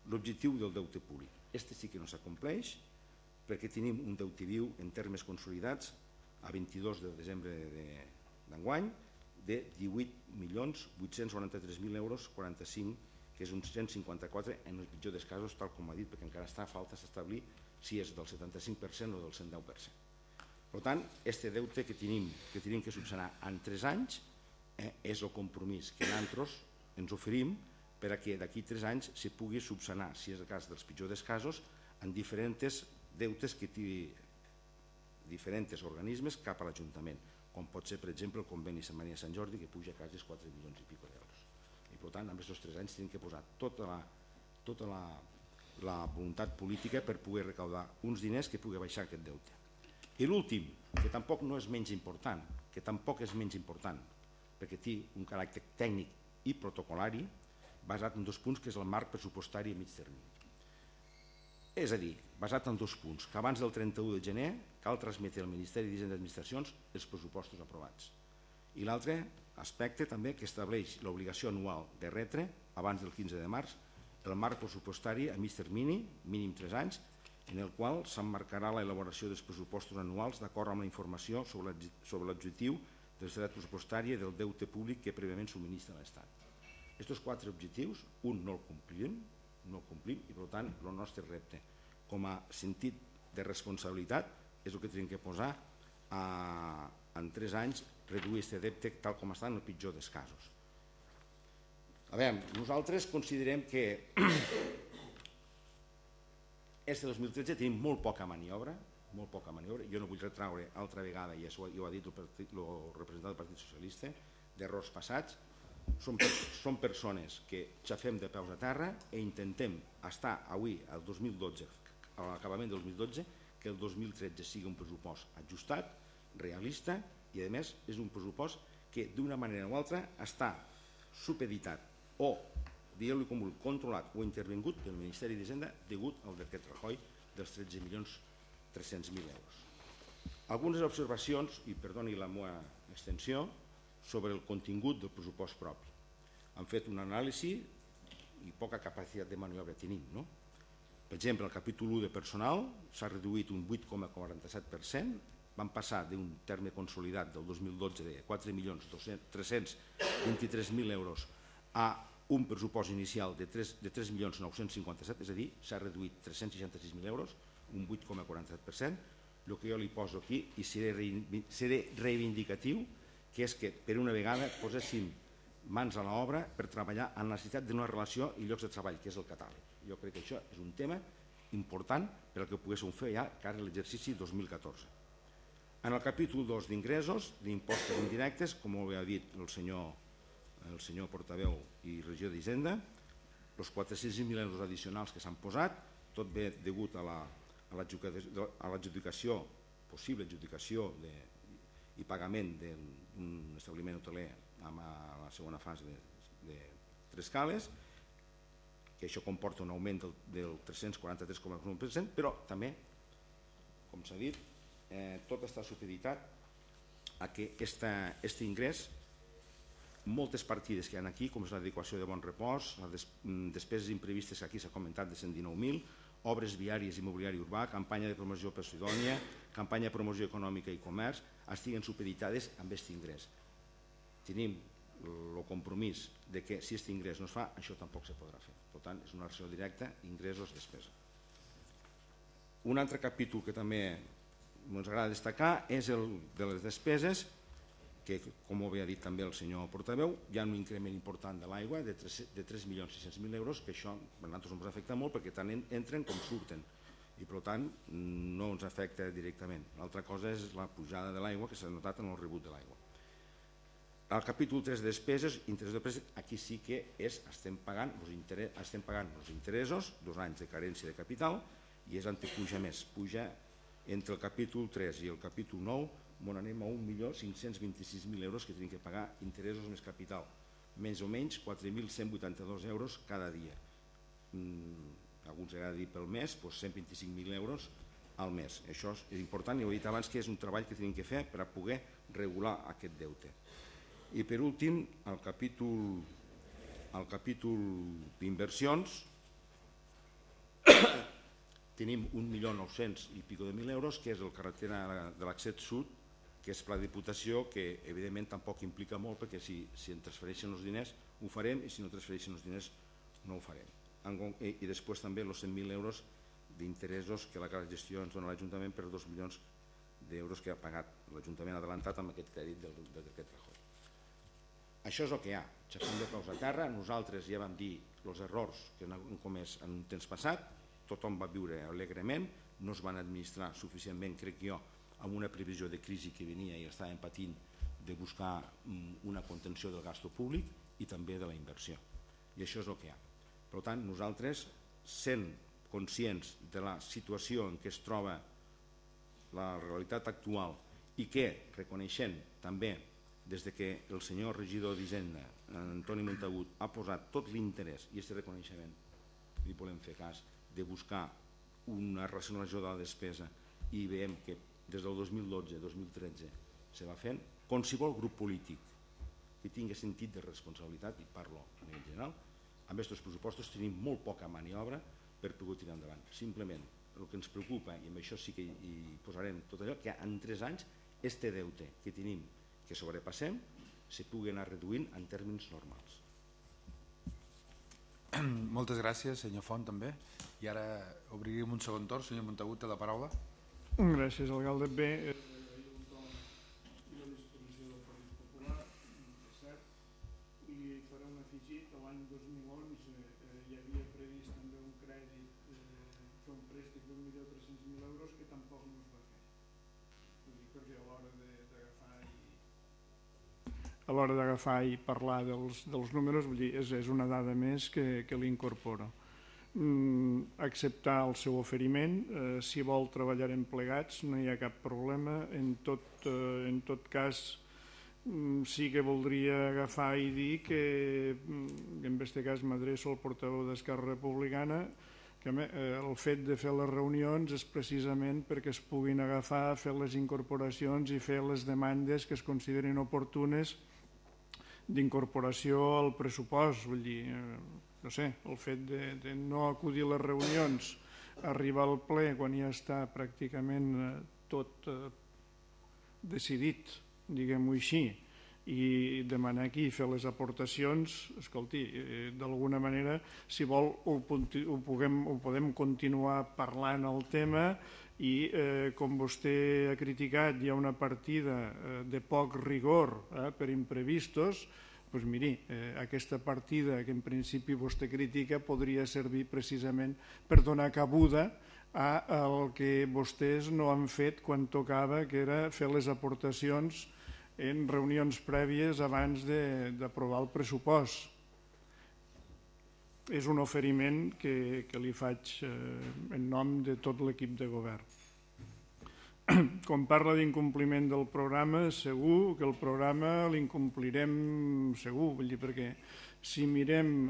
L'objectiu del deute públic. Este sí que no s'acompleix perquè tenim un deute viu en termes consolidats a 22 de desembre d'enguany de 18.893.000 euros 45, que és un 154 en el pitjor dels casos, tal com ha dit, perquè encara està a falta d'establir si és del 75% o del 110%. Per tant, aquest deute que tenim que subsanar en 3 anys és el compromís que nosaltres ens oferim perquè d'aquí 3 anys se pugui subsanar, si és el cas dels pitjors dels casos, en diferents deutes que té diferents organismes cap a l'Ajuntament, com pot ser, per exemple, el conveni Sant Maria Sant Jordi, que puja quasi 4 milions i pico d'euros. I per tant, en aquests 3 anys tenim que posar tota la voluntat política per poder recaudar uns diners que pugui baixar aquest deute. I l'últim, que tampoc no és menys important, perquè té un caràcter tècnic i protocolari, basat en 2 punts, que és el marc pressupostari a mig termini. És a dir, basat en 2 punts, que abans del 31 de gener cal transmetre al Ministeri d'Hisenda i Administracions els pressupostos aprovats. I l'altre aspecte també que estableix l'obligació anual de retre, abans del 15 de març, el marc pressupostari a mig termini, mínim 3 anys, en el qual s'emmarcarà l'elaboració dels pressupostos anuals d'acord amb la informació sobre l'objectiu de l'estat pressupostària del deute públic que prèviament subministra l'Estat. Aquests 4 objectius, un no el complim, i per tant el nostre repte com a sentit de responsabilitat és el que tenim que posar en 3 anys, reduir aquest deute tal com està en el pitjor dels casos. A veure, nosaltres considerem que este 2013 tenim molt poca maniobra, jo no vull retraure altra vegada, i això ho ha dit el representant del Partit Socialista, d'errors passats. Som persones que xafem de peus a terra i intentem estar avui, al 2012, a l'acabament del 2012, que el 2013 sigui un pressupost ajustat, realista, i a més és un pressupost que d'una manera o altra està supeditat o, digueu-li com vulgui, controlat o intervingut pel Ministeri d'Hisenda degut al decret Rajoy dels 13.300.000 euros. Algunes observacions, i perdoni la meva extensió, sobre el contingut del pressupost propi. Han fet una anàlisi i poca capacitat de maniobra tenim, no? Per exemple, el capítol 1 de personal s'ha reduït un 8,47%, van passar d'un terme consolidat del 2012 de 4.323.000 euros a un pressupost inicial de 3.957.000, és a dir, s'ha reduït 366.000 euros, un 8,47%. El que jo li poso aquí, i seré reivindicatiu, que és que per una vegada poséssim mans a l'obra per treballar en la necessitat d'una relació i llocs de treball, que és el catàleg. Jo crec que això és un tema important per al que poguéssim fer ja cara a l'exercici 2014. En el capítol 2 d'ingressos, d'impostos indirectes, com ho ha dit el senyor el senyor portaveu i regidor d'Hisenda, els 400.000 euros addicionals que s'han posat, tot ve degut a l'adjudicació, possible adjudicació i pagament d'un establiment hoteler a la segona fase de Tres Cales, que això comporta un augment del 343,1%, però també, com s'ha dit, tot està supeditat a que aquest ingrés, moltes partides que hi ha aquí, com és l'adequació de bon repòs, les despeses imprevistes que aquí s'ha comentat de 119.000, obres viàries i mobiliari urbà, campanya de promoció per Sidònia, campanya de promoció econòmica i comerç, estiguen supeditades amb aquest ingrés. Tenim el compromís de que si aquest ingrés no es fa, això tampoc se podrà fer. Per tant, és una relació directa, ingressos-despesa. Un altre capítol que també ens agrada destacar és el de les despeses, que, com ho havia dit també el senyor portaveu, hi ha un increment important de l'aigua de 3.600.000 euros, que això a nosaltres ens afecta molt perquè tant entren com surten i per tant no ens afecta directament. L'altra cosa és la pujada de l'aigua que s'ha notat en el rebut de l'aigua. Al capítol 3 de despeses, interès de préstec, aquí sí que estem pagant els interessos, 2 anys de carència de capital, i és on puja més. Puja entre el capítol 3 i el capítol 9, on anem a 1.526.000 euros que tenim que pagar interessos més capital, més o menys 4.182 euros cada dia. Alguns agrada dir pel mes, 125.000 euros al mes. Això és important i ho he dit abans que és un treball que tenim que fer per a poder regular aquest deute. I per últim, al capítol d'inversions tenim 1.900.000 i pico de mil euros, que és el carretera de l'accés sud, que és pla de diputació, que evidentment tampoc implica molt, perquè si ens transfereixen els diners ho farem i si no transfereixen els diners no ho farem. I després també els 100.000 euros d'interessos que la gestió ens dona l'Ajuntament per 2 milions d'euros que ha pagat l'Ajuntament adelantat amb aquest crèdit del decret Rajoy. Això és el que hi ha. Xafem de peus a terra. Nosaltres ja vam dir els errors que hem comès en un temps passat, tothom va viure alegrement, no es van administrar suficientment, crec jo, amb una previsió de crisi que venia i estàvem patint de buscar una contenció del gasto públic i també de la inversió. I això és el que hi ha. Per tant, nosaltres, sent conscients de la situació en què es troba la realitat actual i que reconeixent també des que el senyor regidor d'Hisenda, Antoni Montagut, ha posat tot l'interès i aquest reconeixement, li volem fer cas, de buscar una racionalització de la despesa i veiem que des del 2012-2013 se va fent, qualsevol grup polític que tingui sentit de responsabilitat, i parlo a nivell general, amb aquests pressupostos tenim molt poca maniobra per poder tirar endavant. Simplement el que ens preocupa, i amb això sí que hi posarem tot allò, que en 3 anys este deute que tenim, que sobrepassem, se pugui anar reduint en termes normals. Moltes gràcies, senyor Font, també. I ara obriríem un segon torn. Senyor Montagut, té la paraula. Gràcies, alcalde. Bé, la disposició del Partit Popular, és cert, i faré un afegit. L'any 2011 hi havia previst també un crèdit, fer un préstec d'1.300.000 euros que tampoc no es va fer. Perquè a l'hora d'agafar i parlar dels números, vull dir, és una dada més que l'incorpora. Acceptar el seu oferiment, si vol treballarem plegats, no hi ha cap problema. En tot cas, sí que voldria agafar i dir que, en aquest cas m'adreço al portaveu d'Esquerra Republicana, que el fet de fer les reunions és precisament perquè es puguin agafar, fer les incorporacions i fer les demandes que es considerin oportunes d'incorporació al pressupost. Vull dir, no sé, el fet de no acudir a les reunions, arribar al ple quan ja està pràcticament tot decidit, diguem-ho així, i demanar aquí fer les aportacions, escolti, d'alguna manera, si vol, ho podem continuar parlant el tema i, com vostè ha criticat, hi ha una partida de poc rigor per imprevistos. Doncs miri, aquesta partida que en principi vostè critica podria servir precisament per donar cabuda al que vostès no han fet quan tocava, que era fer les aportacions en reunions prèvies abans d'aprovar el pressupost. És un oferiment que li faig en nom de tot l'equip de govern. Quan parla d'incompliment del programa, segur que el programa l'incomplirem segur, vull dir, perquè si mirem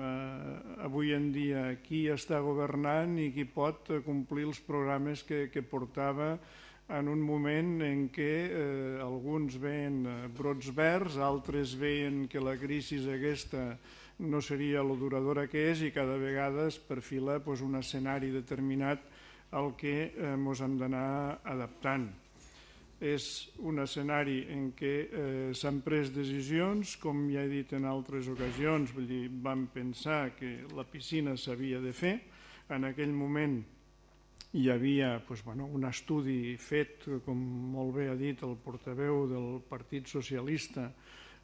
avui en dia qui està governant i qui pot complir els programes que portava en un moment en què alguns veien brots verds, altres veien que la crisi aquesta no seria lo duradora que és i cada vegada es perfila un escenari determinat al que ens hem d'anar adaptant. És un escenari en què s'han pres decisions, com ja he dit en altres ocasions, vull dir, vam pensar que la piscina s'havia de fer. En aquell moment hi havia un estudi fet, com molt bé ha dit el portaveu del Partit Socialista,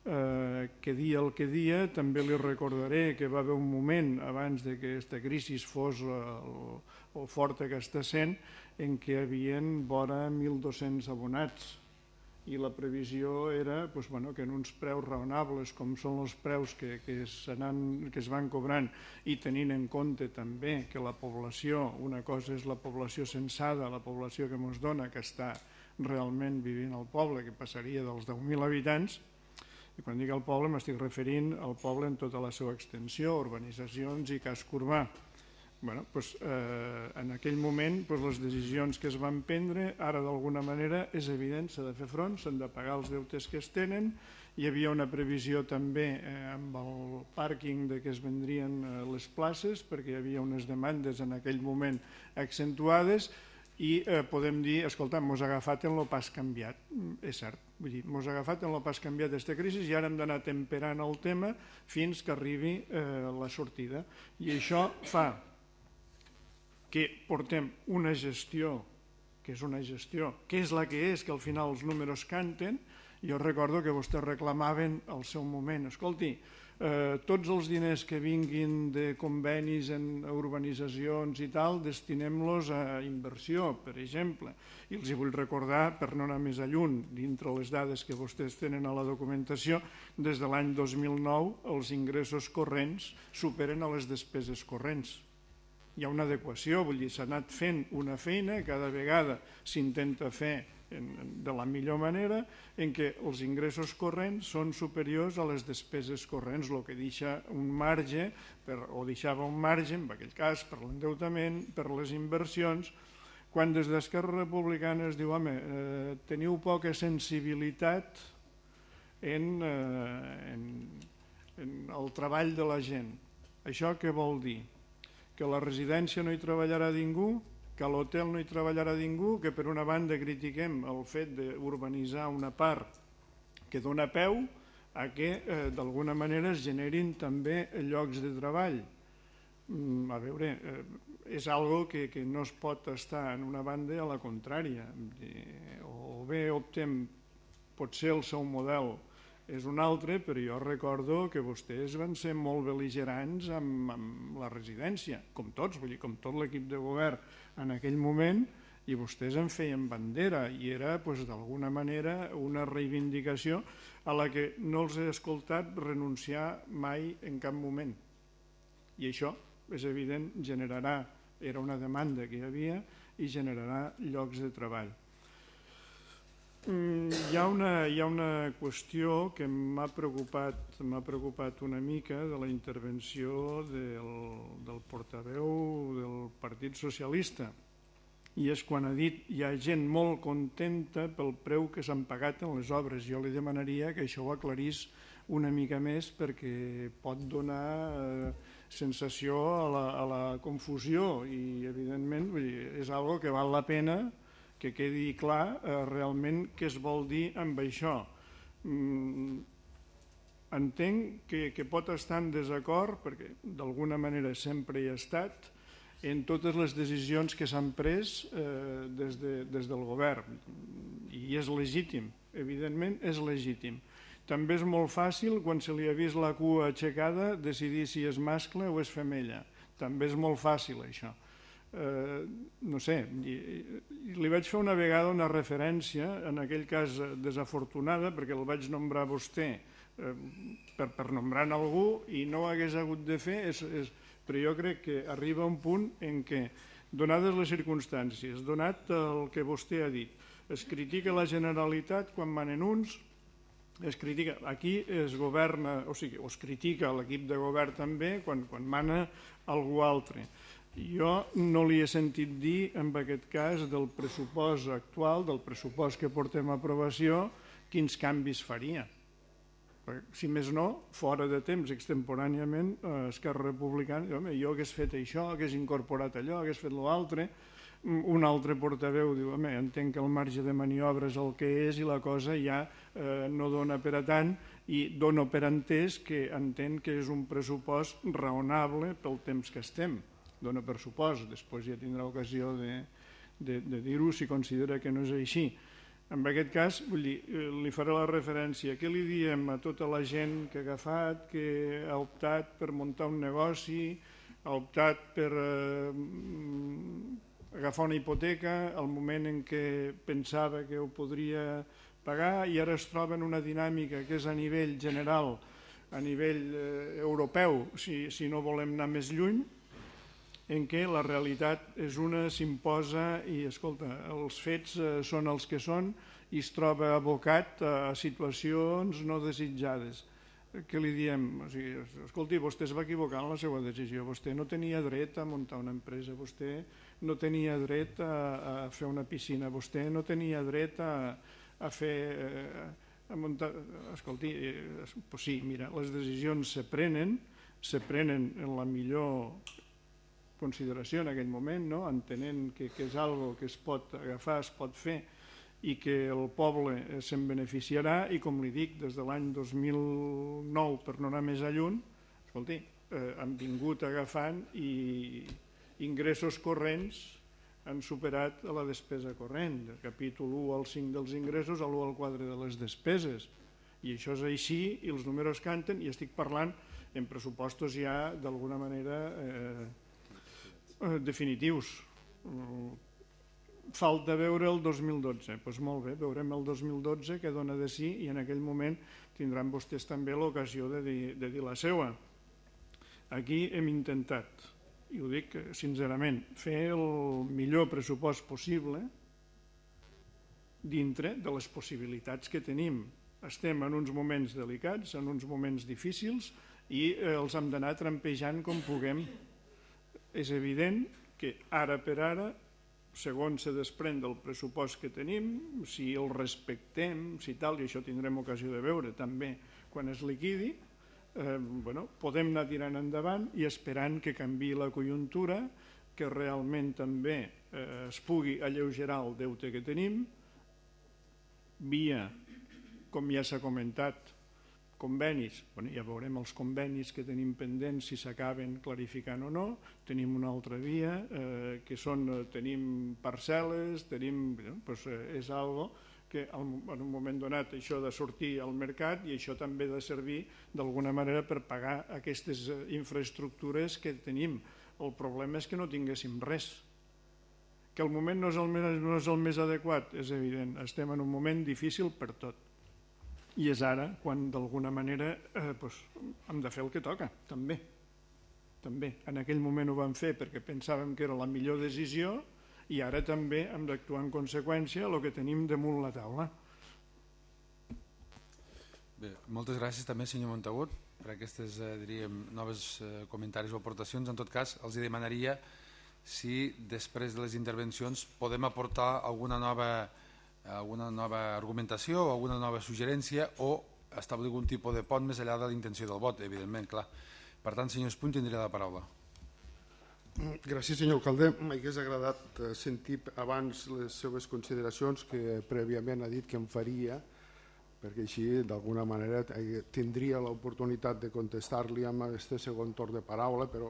que dia el que dia. També li recordaré que va haver un moment abans que aquesta crisi fos el forta que està sent en què hi havia vora 1.200 abonats i la previsió era que en uns preus raonables com són els preus que es van cobrant i tenint en compte també que la població, una cosa és la població censada, la població que ens dona que està realment vivint al poble, que passaria dels 10.000 habitants. I quan dic el poble m'estic referint al poble en tota la seva extensió, urbanitzacions i casc urbà. En aquell moment les decisions que es van prendre, ara d'alguna manera és evident, s'ha de fer front, s'han de pagar els deutes que es tenen. Hi havia una previsió també amb el pàrquing que es vendrien les places perquè hi havia unes demandes en aquell moment accentuades i podem dir, escolta, mos ha agafat en lo pas canviat. És cert, vull dir, mos ha agafat en lo pas canviat d'aquesta crisi i ara hem d'anar temperant el tema fins que arribi la sortida. I això fa que portem una gestió, que és una gestió, que és la que és, que al final els números canten. Jo recordo que vostès reclamaven al seu moment, escolti, tots els diners que vinguin de convenis en urbanitzacions i tal, destinem-los a inversió, per exemple. I els vull recordar, per no anar més lluny, dintre les dades que vostès tenen a la documentació, des de l'any 2009 els ingressos corrents superen a les despeses corrents. Hi ha una adequació, vull dir, s'ha anat fent una feina, cada vegada s'intenta fer de la millor manera, en què els ingressos corrents són superiors a les despeses corrents, el que deixa un marge, o deixava un marge, en aquell cas, per l'endeutament, per les inversions, quan des d'Esquerra Republicana es diu, home, teniu poca sensibilitat en el treball de la gent. Això què vol dir? Que a la residència no hi treballarà ningú, que a l'hotel no hi treballarà ningú, que per una banda critiquem el fet d'urbanitzar una part que dona peu a que d'alguna manera es generin també llocs de treball. A veure, és algo que no es pot estar en una banda a la contrària. O bé optem, potser el seu model és un altre, però jo recordo que vostès van ser molt bel·ligerants amb la residència, com tots, vull dir, com tot l'equip de govern en aquell moment, i vostès en feien bandera, i era d'alguna manera una reivindicació a la que no els he escoltat renunciar mai en cap moment. I això, és evident, era una demanda que hi havia i generarà llocs de treball. Hi ha una qüestió que m'ha preocupat una mica de la intervenció del portaveu del Partit Socialista, i és quan ha dit hi ha gent molt contenta pel preu que s'han pagat en les obres. Jo li demanaria que això ho aclarís una mica més perquè pot donar sensació a la confusió i evidentment és algo que val la pena que quedi clar realment què es vol dir amb això. Entenc que pot estar en desacord, perquè d'alguna manera sempre hi ha estat, en totes les decisions que s'han pres des del govern. I és legítim, evidentment és legítim. També és molt fàcil, quan se li ha vist la cua aixecada, decidir si és mascle o és femella. També és molt fàcil això. no sé, li vaig fer una vegada una referència, en aquell cas desafortunada, perquè el vaig nombrar a vostè per nombrar algú i no ho hagués hagut de fer, però jo crec que arriba un punt en què, donades les circumstàncies, donat el que vostè ha dit, es critica la Generalitat quan manen uns, es critica, aquí es governa, o sigui, es critica l'equip de govern també quan mana algú altre. Jo no li he sentit dir, en aquest cas, del pressupost actual, del pressupost que portem a aprovació, quins canvis faria. Si més no, fora de temps, extemporàniament, Esquerra Republicana, jo hagués fet això, hagués incorporat allò, hagués fet l'altre. Un altre portaveu diu, entenc que el marge de maniobra és el que és i la cosa ja no dona per a tant, i dono per entès que entén que és un pressupost raonable pel temps que estem. Dona per supost, després ja tindrà ocasió de dir-ho si considera que no és així. En aquest cas, vull dir, li faré la referència. Què li diem a tota la gent que ha agafat, que ha optat per muntar un negoci, ha optat per agafar una hipoteca al moment en què pensava que ho podria pagar i ara es troba en una dinàmica que és a nivell general, a nivell europeu, si no volem anar més lluny, en què la realitat és una, s'imposa i, escolta, els fets són els que són i es troba abocat a situacions no desitjades. Què li diem? O sigui, escolti, vostè es va equivocar en la seva decisió, vostè no tenia dret a muntar una empresa, vostè no tenia dret a fer una piscina, vostè no tenia dret a fer... a muntar... Escolti, doncs sí, mira, les decisions se prenen en la millor consideració en aquell moment, entenent que és algo que es pot agafar, es pot fer i que el poble se'n beneficiarà i, com li dic, des de l'any 2009, per no anar més lluny, escolti, han vingut agafant i ingressos corrents han superat la despesa corrent, del capítol 1 al 5 dels ingressos a l'1 al 4 de les despeses. I això és així i els números canten i estic parlant en pressupostos ja d'alguna manera definitius. Falta veure el 2012, doncs molt bé, veurem el 2012 què dona de sí i en aquell moment tindran vostès també l'ocasió de dir la seva. Aquí hem intentat, i ho dic sincerament, fer el millor pressupost possible dintre de les possibilitats que tenim. Estem en uns moments delicats, en uns moments difícils i els hem d'anar trampejant com puguem. És evident que ara per ara, segons se desprèn del pressupost que tenim, si el respectem, si tal, i això tindrem ocasió de veure també quan es liquidi, podem anar tirant endavant i esperant que canviï la conjuntura, que realment també es pugui alleugerar el deute que tenim, via, com ja s'ha comentat, convenis, ja veurem els convenis que tenim pendents si s'acaben clarificant o no, tenim una altra via, que són, tenim parcel·les, és algo que en un moment donat això ha de sortir al mercat i això també ha de servir d'alguna manera per pagar aquestes infraestructures que tenim. El problema és que no tinguéssim res. Que el moment no és el més adequat, és evident, estem en un moment difícil per tot. I és ara quan d'alguna manera hem de fer el que toca, també. En aquell moment ho vam fer perquè pensàvem que era la millor decisió i ara també hem d'actuar en conseqüència el que tenim damunt la taula. Bé, moltes gràcies també, senyor Montagut, per aquestes, noves comentaris o aportacions. En tot cas, els demanaria si després de les intervencions podem aportar alguna nova argumentació o alguna nova suggerència o establir algun tipus de pont més enllà de la intenció del vot, evidentment, clar. Per tant, senyor Espuny, tindria la paraula. Gràcies, senyor alcalde. M'hauria agradat sentir abans les seves consideracions que prèviament ha dit que em faria, perquè així, d'alguna manera, tindria l'oportunitat de contestar-li amb aquest segon torn de paraula, però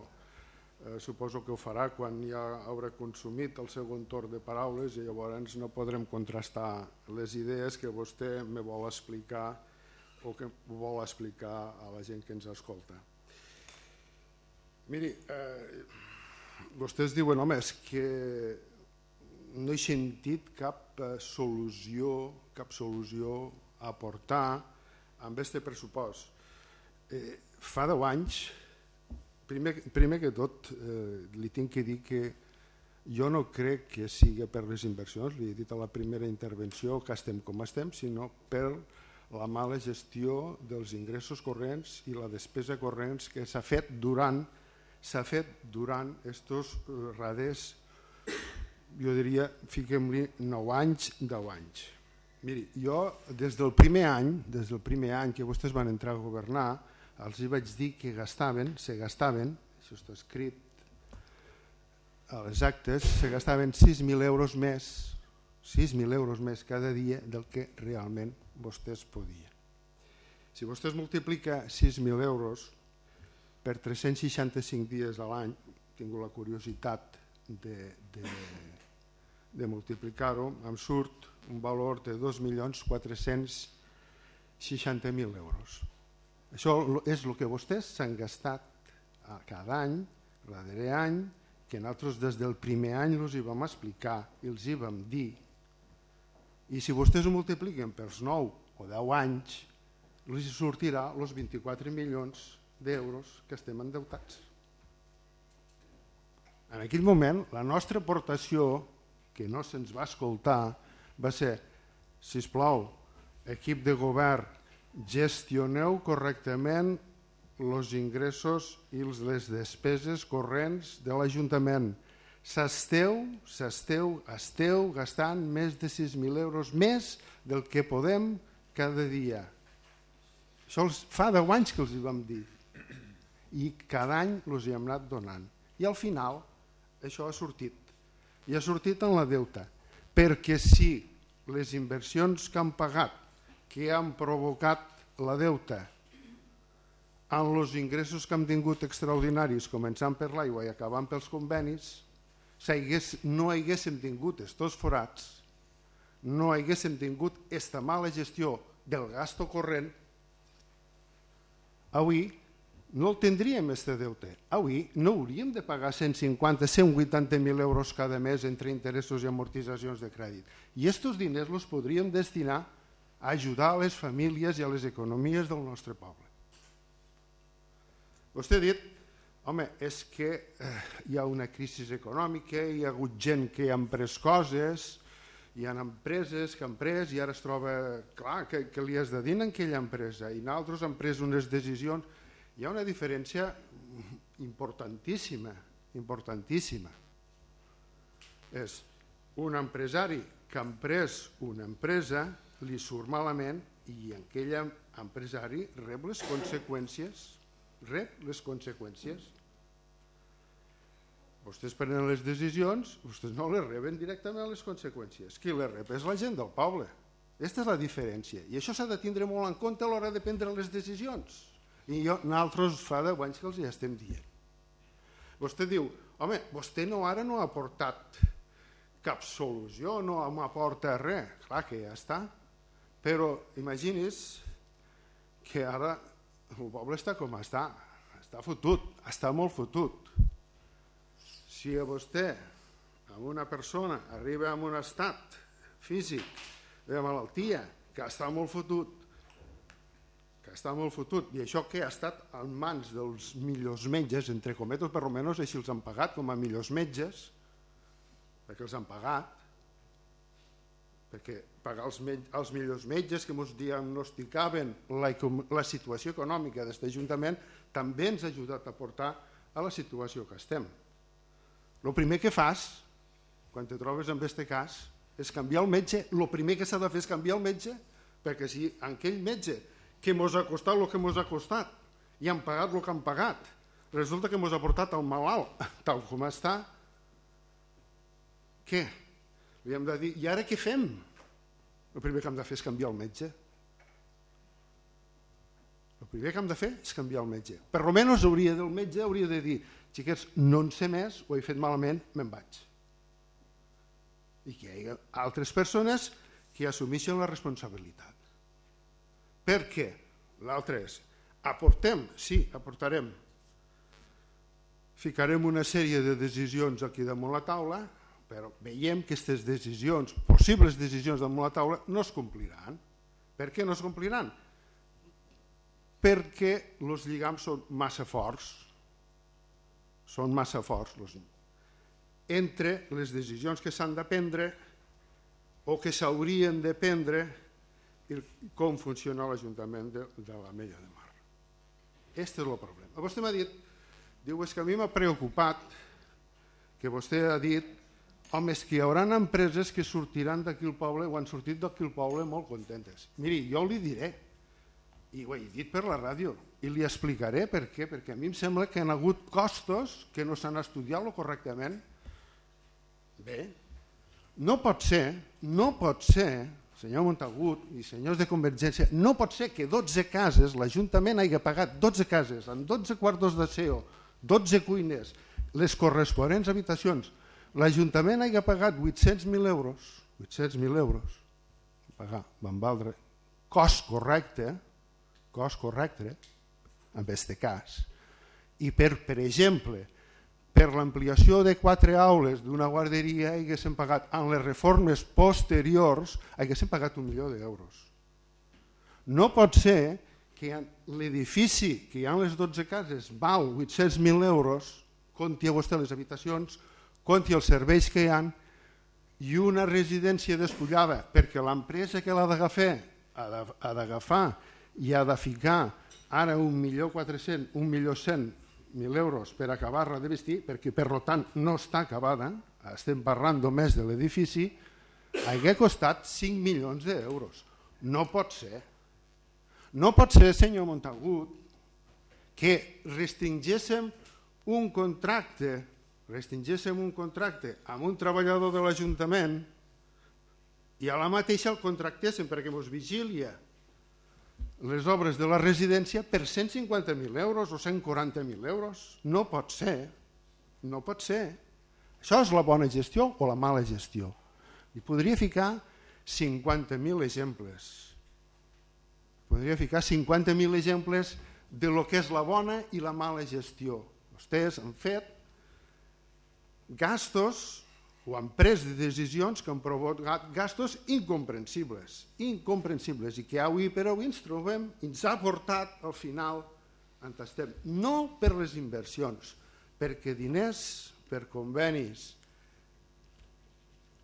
suposo que ho farà quan ja haurà consumit el segon torn de paraules i llavors no podrem contrastar les idees que vostè me vol explicar o que vol explicar a la gent que ens escolta. Miri, vostès diuen, home, és que no he sentit cap solució a aportar amb aquest pressupost. Fa 10 anys, primer que tot, li tinc que dir que jo no crec que sigui per les inversions, li he dit a la primera intervenció que estem com estem, sinó per la mala gestió dels ingressos corrents i la despesa corrents que s'ha fet durant estos darrers, jo diria, fiquem-li 9 anys, 10 anys. Miri, jo des del primer any que vostès van entrar a governar, els hi vaig dir que se gastaven, això està escrit a les actes, se gastaven 6.000 euros més cada dia del que realment vostès podien. Si vostès multiplica 6.000 euros per 365 dies a l'any, tinc la curiositat de multiplicar-ho, em surt un valor de 2.460.000 euros. Això és el que vostès s'han gastat cada any, darrere any, que nosaltres des del primer any els hi vam explicar i els hi vam dir. I si vostès ho multipliquen pels 9 o 10 anys, els sortirà els 24 milions d'euros que estem endeutats. En aquell moment, la nostra aportació, que no se'ns va escoltar, va ser, sisplau, equip de govern, gestioneu correctament els ingressos i les despeses corrents de l'Ajuntament. Esteu gastant més de 6.000 euros més del que podem cada dia. Això fa 10 anys que els hi vam dir i cada any els hi hem anat donant. I al final això ha sortit. I ha sortit en la deuta. Perquè si les inversions que han pagat, que han provocat la deuta, en els ingressos que hem tingut extraordinaris, començant per l'aigua i acabant pels convenis, no haguéssim tingut estos forats, no haguéssim tingut esta mala gestió del gasto corrent, avui no el tindríem, este deute. Avui no hauríem de pagar 150-180.000 euros cada mes entre interessos i amortitzacions de crèdit. I aquests diners els podríem destinar a ajudar a les famílies i a les economies del nostre poble. Vostè ha dit, home, és que hi ha una crisi econòmica, hi ha hagut gent que ha pres coses, hi ha empreses que han pres i ara es troba clar que li has de dir en aquella empresa i nosaltres hem pres unes decisions. Hi ha una diferència importantíssima. És un empresari que ha pres una empresa, li surt malament i aquell empresari rep les conseqüències. Vostès prenen les decisions, vostès no les reben directament les conseqüències. Qui les rep és la gent del poble. Aquesta és la diferència. I això s'ha de tindre molt en compte a l'hora de prendre les decisions. I nosaltres fa 10 anys que els hi estem dient. Vostè diu, home, vostè ara no ha aportat cap solució, no m'aporta res. Clar que ja està. Però imagini's que ara el poble està com està fotut, està molt fotut. Si a vostè, a una persona, arriba a un estat físic de malaltia que està molt fotut, i això que ha estat en mans dels millors metges, entre cometes, per almenys així els han pagat com a millors metges, perquè els han pagat, perquè pagar els millors metges que ens diagnosticaven la situació econòmica d'aquest Ajuntament també ens ha ajudat a portar a la situació que estem. El primer que fas, quan te trobes en aquest cas, és canviar el metge. El primer que s'ha de fer és canviar el metge, perquè si aquell metge que ens ha costat el que ens ha costat i han pagat el que han pagat, resulta que ens ha portat el malalt tal com està, què? Li hem de dir, i ara què fem? El primer que hem de fer és canviar el metge. El primer que hem de fer és canviar el metge. Per almenys el metge hauria de dir, xiquets, no en sé més, ho he fet malament, me'n vaig. I que hi ha altres persones que assumeixen la responsabilitat. Per què? L'altre és, aportem? Sí, aportarem. ficarem una sèrie de decisions aquí damunt la taula, però veiem que aquestes decisions, possibles decisions damunt la taula, no es compliran. Per què no es compliran? Perquè els lligams són massa forts. Són massa forts entre les decisions que s'han de prendre o que s'haurien de prendre i com funciona l'Ajuntament de l'Ametlla de Mar. Aquest és el problema. Vostè m'ha dit, diu, és que a mi m'ha preocupat que vostè ha dit, home, és que hi haurà empreses que sortiran d'aquí el poble o han sortit d'aquí el poble molt contentes. Miri, jo li diré, i ho he dit per la ràdio, i li explicaré per què, perquè a mi em sembla que hi ha hagut costos que no s'han estudiat correctament. Bé, no pot ser, senyor Montagut i senyors de Convergència, no pot ser que 12 cases, l'Ajuntament hagi pagat 12 cases amb 12 quartos d'aseo, 12 cuines, les corresponents habitacions, l'Ajuntament hagi pagat 800.000 euros, 800.000 euros, van valdre cost correcte, en aquest cas, i per exemple, per l'ampliació de 4 aules d'una guarderia haguéssim pagat, en les reformes posteriors, haguéssim pagat 1 milió d'euros. No pot ser que l'edifici que hi ha en les 12 cases val 800.000 euros, compti a vostè les habitacions, compti els serveis que hi ha, i una residència despullada, perquè l'empresa que l'ha d'agafar ha d'agafar i ha de ficar ara 1.400.000 euros per acabar-la de vestir, perquè per tant no està acabada, estem parlant només de l'edifici, hauria costat 5 milions d'euros. No pot ser. No pot ser, senyor Montagut, que restringíssim un contracte amb un treballador de l'Ajuntament i a la mateixa el contractéssim perquè ens vigilia les obres de la residència per 150.000 euros o 140.000 euros. No pot ser. No pot ser. Això és la bona gestió o la mala gestió. I podria ficar 50.000 exemples. Podria ficar 50.000 exemples de lo que és la bona i la mala gestió. Vostès han fet gastos o han pres decisions que han provocat gastos incomprensibles i que avui per avui ens trobem, ens ha portat al final on estem. No per les inversions, perquè diners per convenis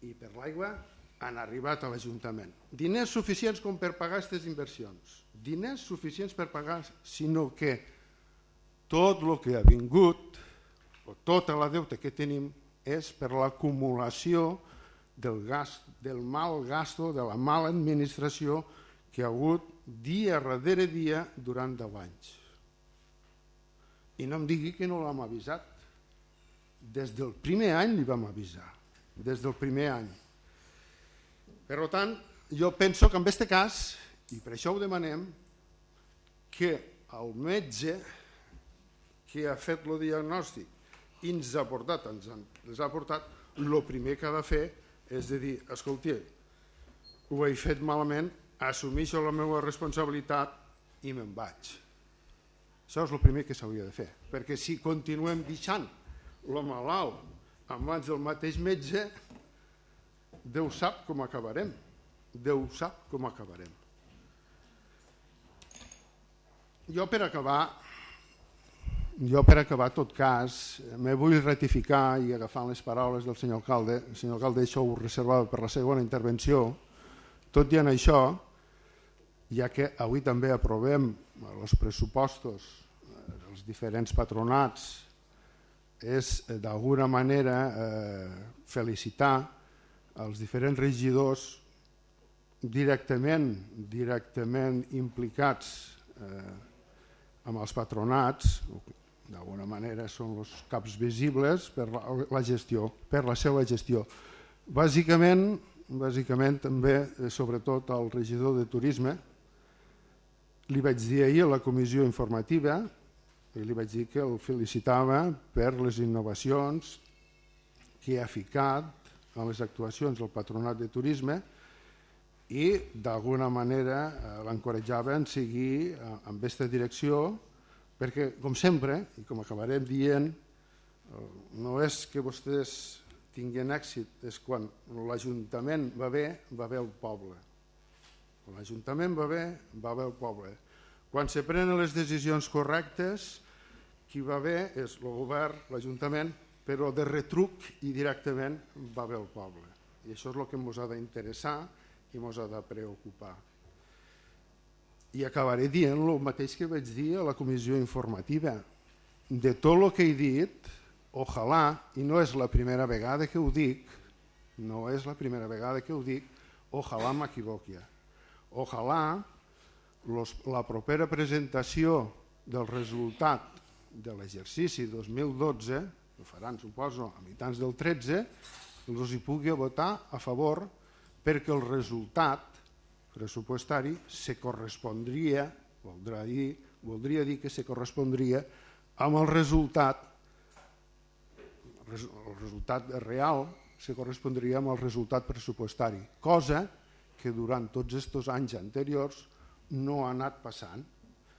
i per l'aigua han arribat a l'Ajuntament. Diners suficients com per pagar aquestes inversions, diners suficients per pagar, sinó que tot el que ha vingut, o tota la deute que tenim, és per l'acumulació del mal gasto, de la mala administració que ha hagut dia darrere dia durant 10 anys. I no em digui que no l'hem avisat. Des del primer any li vam avisar, des del primer any. Per tant, jo penso que en aquest cas, i per això ho demanem, que el metge que ha fet el diagnòstic i ens ha portat, el primer que ha de fer és de dir, escolti, ho he fet malament, assumeixo la meva responsabilitat i me'n vaig. Això és el primer que s'hauria de fer, perquè si continuem deixant el malalt en mans del mateix metge, Déu sap com acabarem. Déu sap com acabarem. Jo per acabar, en tot cas, me vull ratificar i agafant les paraules del senyor alcalde. El senyor alcalde això ho reservava per la segona intervenció. Tot i en això, ja que avui també aprovem els pressupostos dels diferents patronats, és d'alguna manera felicitar els diferents regidors directament implicats amb els patronats. D'alguna manera són els caps visibles per la gestió, per la seva gestió. Bàsicament també, sobretot al regidor de turisme, li vaig dir ahir a la comissió informativa i li vaig dir que el felicitava per les innovacions que ha ficat en les actuacions del patronat de turisme i d'alguna manera l'encoratjava a seguir en aquesta direcció, perquè, com sempre, i com acabarem dient, No és que vostès tinguin èxit, és quan l'Ajuntament va bé el poble. Quan l'Ajuntament va bé el poble. Quan se prenen les decisions correctes, qui va bé és el govern, l'Ajuntament, però de retruc i directament va bé el poble. I això és el que ens ha d'interessar i ens ha de preocupar. I acabaré dient el mateix que vaig dir a la comissió informativa. De tot el que he dit, ojalà, i no és la primera vegada que ho dic, ojalà m'equivoqui. Ojalà la propera presentació del resultat de l'exercici 2012, ho faran, suposo, a mitjans del 13, els hi pugui votar a favor perquè el resultat pressupostari se correspondria, voldria dir que se correspondria amb el resultat real, se correspondria amb el resultat pressupostari, cosa que durant tots aquests anys anteriors no ha anat passant.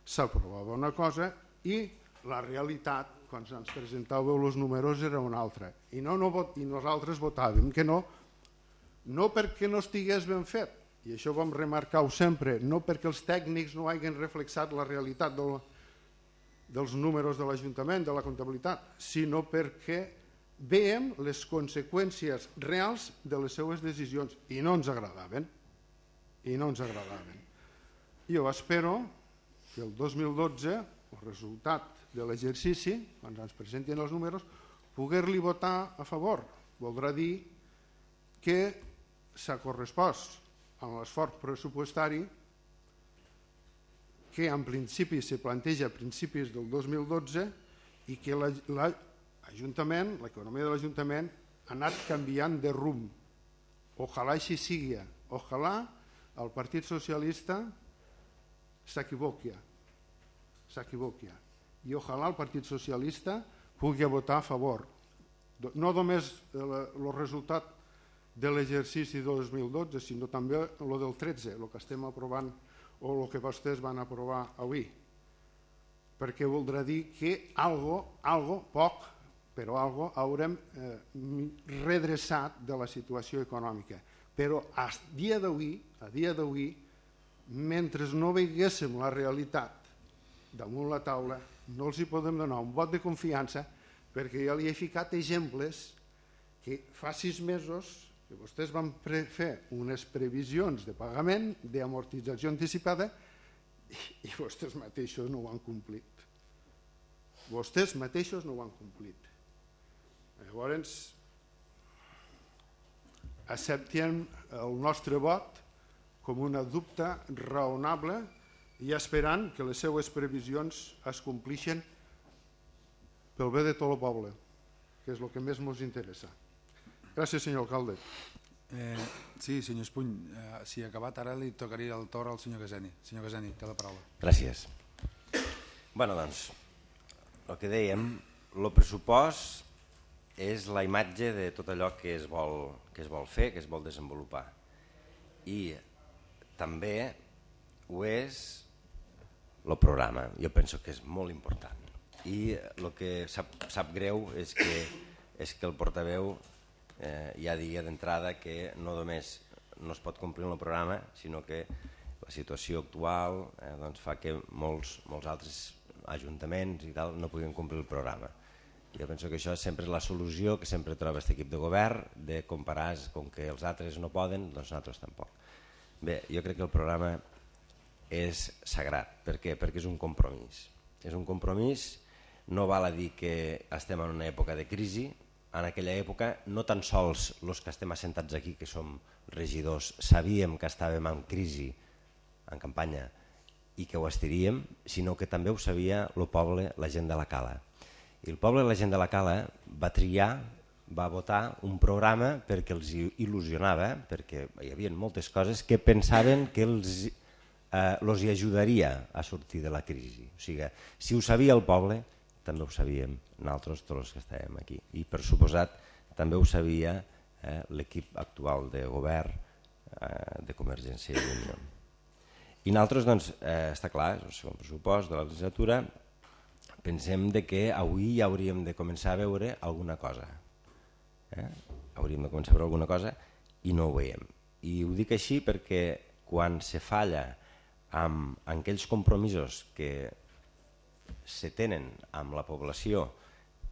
S'aprovava una cosa i la realitat, quan ens presentàveu els números, era una altra. I nosaltres votàvem que no, no perquè no estigués ben fet, i això vam remarcar-ho sempre, no perquè els tècnics no hagin reflexat la realitat dels números de l'Ajuntament, de la comptabilitat, sinó perquè veiem les conseqüències reals de les seues decisions i no ens agradaven. Jo espero que el 2012, el resultat de l'exercici, quan ens presentin els números, poder-li votar a favor. Voldrà dir que s'ha correspost amb l'esforç pressupostari que en principi se planteja a principis del 2012 i que l'Ajuntament, l'economia de l'Ajuntament ha anat canviant de rumb. Ojalà així sigui. Ojalà el Partit Socialista s'equivoqui. I ojalà el Partit Socialista pugui votar a favor. No només el resultat de l'exercici 2012, sinó també el del 13, el que estem aprovant o el que vostès van aprovar avui. Perquè voldrà dir que algo poc, però algo haurem redreçat de la situació econòmica. Però a dia d'avui, mentre no veiéssim la realitat damunt la taula, no els hi podem donar un vot de confiança perquè ja li he ficat exemples que fa 6 mesos que vostès van fer unes previsions de pagament, d'amortització anticipada i vostès mateixos no ho han complit. Llavors, acceptem el nostre vot com una dubte raonable i esperant que les seues previsions es complixen pel bé de tot el poble, que és el que més ens interessa. Gràcies, senyor alcalde. Sí, senyor Espuny, si ha acabat ara li tocaria el torn al senyor Caseni. Senyor Caseni, té la paraula. Gràcies. Bé, doncs, el que dèiem, el pressupost és la imatge de tot allò que es vol fer, que es vol desenvolupar. I també ho és el programa. Jo penso que és molt important. I el que sap greu és que el portaveu ja digui d'entrada que no només no es pot complir el programa, sinó que la situació actual fa que molts altres ajuntaments i tal no puguin complir el programa. Jo penso que això sempre és la solució que sempre troba aquest equip de govern, de comparar, com que els altres no poden, doncs nosaltres tampoc. Bé, jo crec que el programa és sagrat. Per què? Perquè és un compromís. És un compromís, no val a dir que estem en una època de crisi. En aquella època no tan sols els que estem assentats aquí, que som regidors, sabíem que estàvem en crisi, en campanya, i que ho estiríem, sinó que també ho sabia el poble, la gent de la Cala. I el poble i la gent de la Cala va triar, va votar un programa perquè els il·lusionava, perquè hi havia moltes coses que pensaven que els hi ajudaria a sortir de la crisi. O sigui, si ho sabia el poble, també ho sabíem nosaltres, tots els que estàvem aquí. I per suposat també ho sabia l'equip actual de govern de Convergència i Unió. I nosaltres, doncs, està clar, és el segon pressupost de la legislatura, pensem de que avui ja hauríem de començar a veure alguna cosa. Hauríem de començar a veure alguna cosa i no ho veiem. I ho dic així perquè quan se falla amb aquells compromisos que se tenen amb la població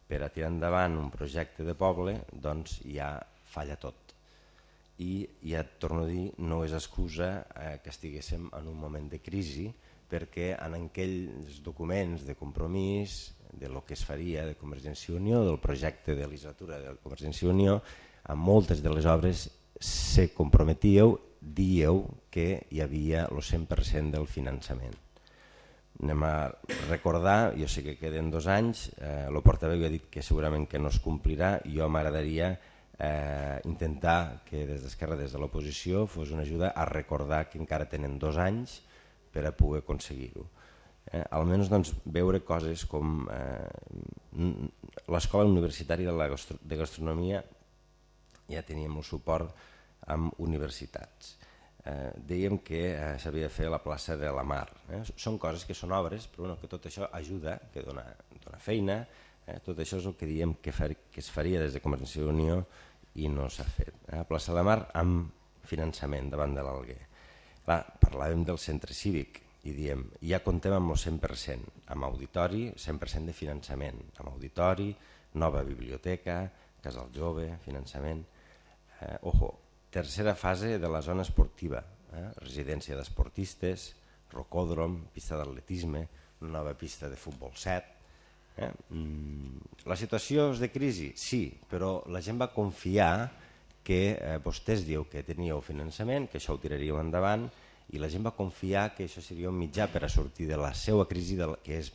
per a tirar endavant un projecte de poble, doncs ja falla tot. I ja et torno a dir, no és excusa que estiguéssim en un moment de crisi, perquè en aquells documents de compromís de lo que es faria de Convergència i Unió, del projecte de legislatura de Convergència i Unió, en moltes de les obres se comprometíeu, díeu que hi havia el 100% del finançament. Anem a recordar, jo sé que queden 2 anys, el portaveu ja ha dit que segurament que no es complirà, i jo m'agradaria intentar que des d'Esquerra, des de l'oposició, fos una ajuda a recordar que encara tenen 2 anys per a poder aconseguir-ho. Almenys doncs, veure coses com l'Escola Universitària de Gastronomia, ja teníem el suport amb universitats. Dèiem que s'havia de fer la plaça de la Mar. Són coses que són obres, però que tot això ajuda, que dona feina. Tot això és el que diem que es faria des de Convergència i Unió i no s'ha fet. La plaça de la Mar amb finançament davant de l'Alguer. Parlàvem del centre cívic i diem, ja contem amb el 100%, amb auditori, 100% de finançament, amb auditori, nova biblioteca, casal jove, finançament. Tercera fase de la zona esportiva, residència d'esportistes, rocòdrom, pista d'atletisme, nova pista de futbol 7. La situació és de crisi? Sí, però la gent va confiar que vostès dieu que teníeu finançament, que això ho tiraríeu endavant, i la gent va confiar que això seria un mitjà per a sortir de la seva crisi, que és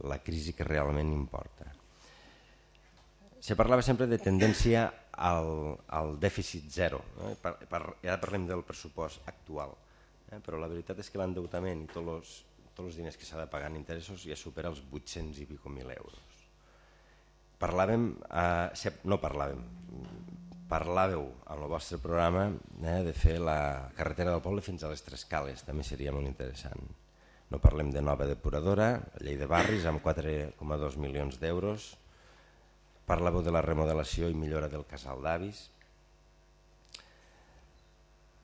la crisi que realment importa. Se parlava sempre de tendència al dèficit zero, ja parlem del pressupost actual, però la veritat és que l'endeutament i tots els diners que s'ha de pagar en interessos ja supera els 800 i pico mil euros. Parlàveu en el vostre programa de fer la carretera del poble fins a les Tres Cales, també seria molt interessant. No parlem de nova depuradora, llei de barris amb 4,2 milions d'euros. Parlàveu de la remodelació i millora del casal d'avis.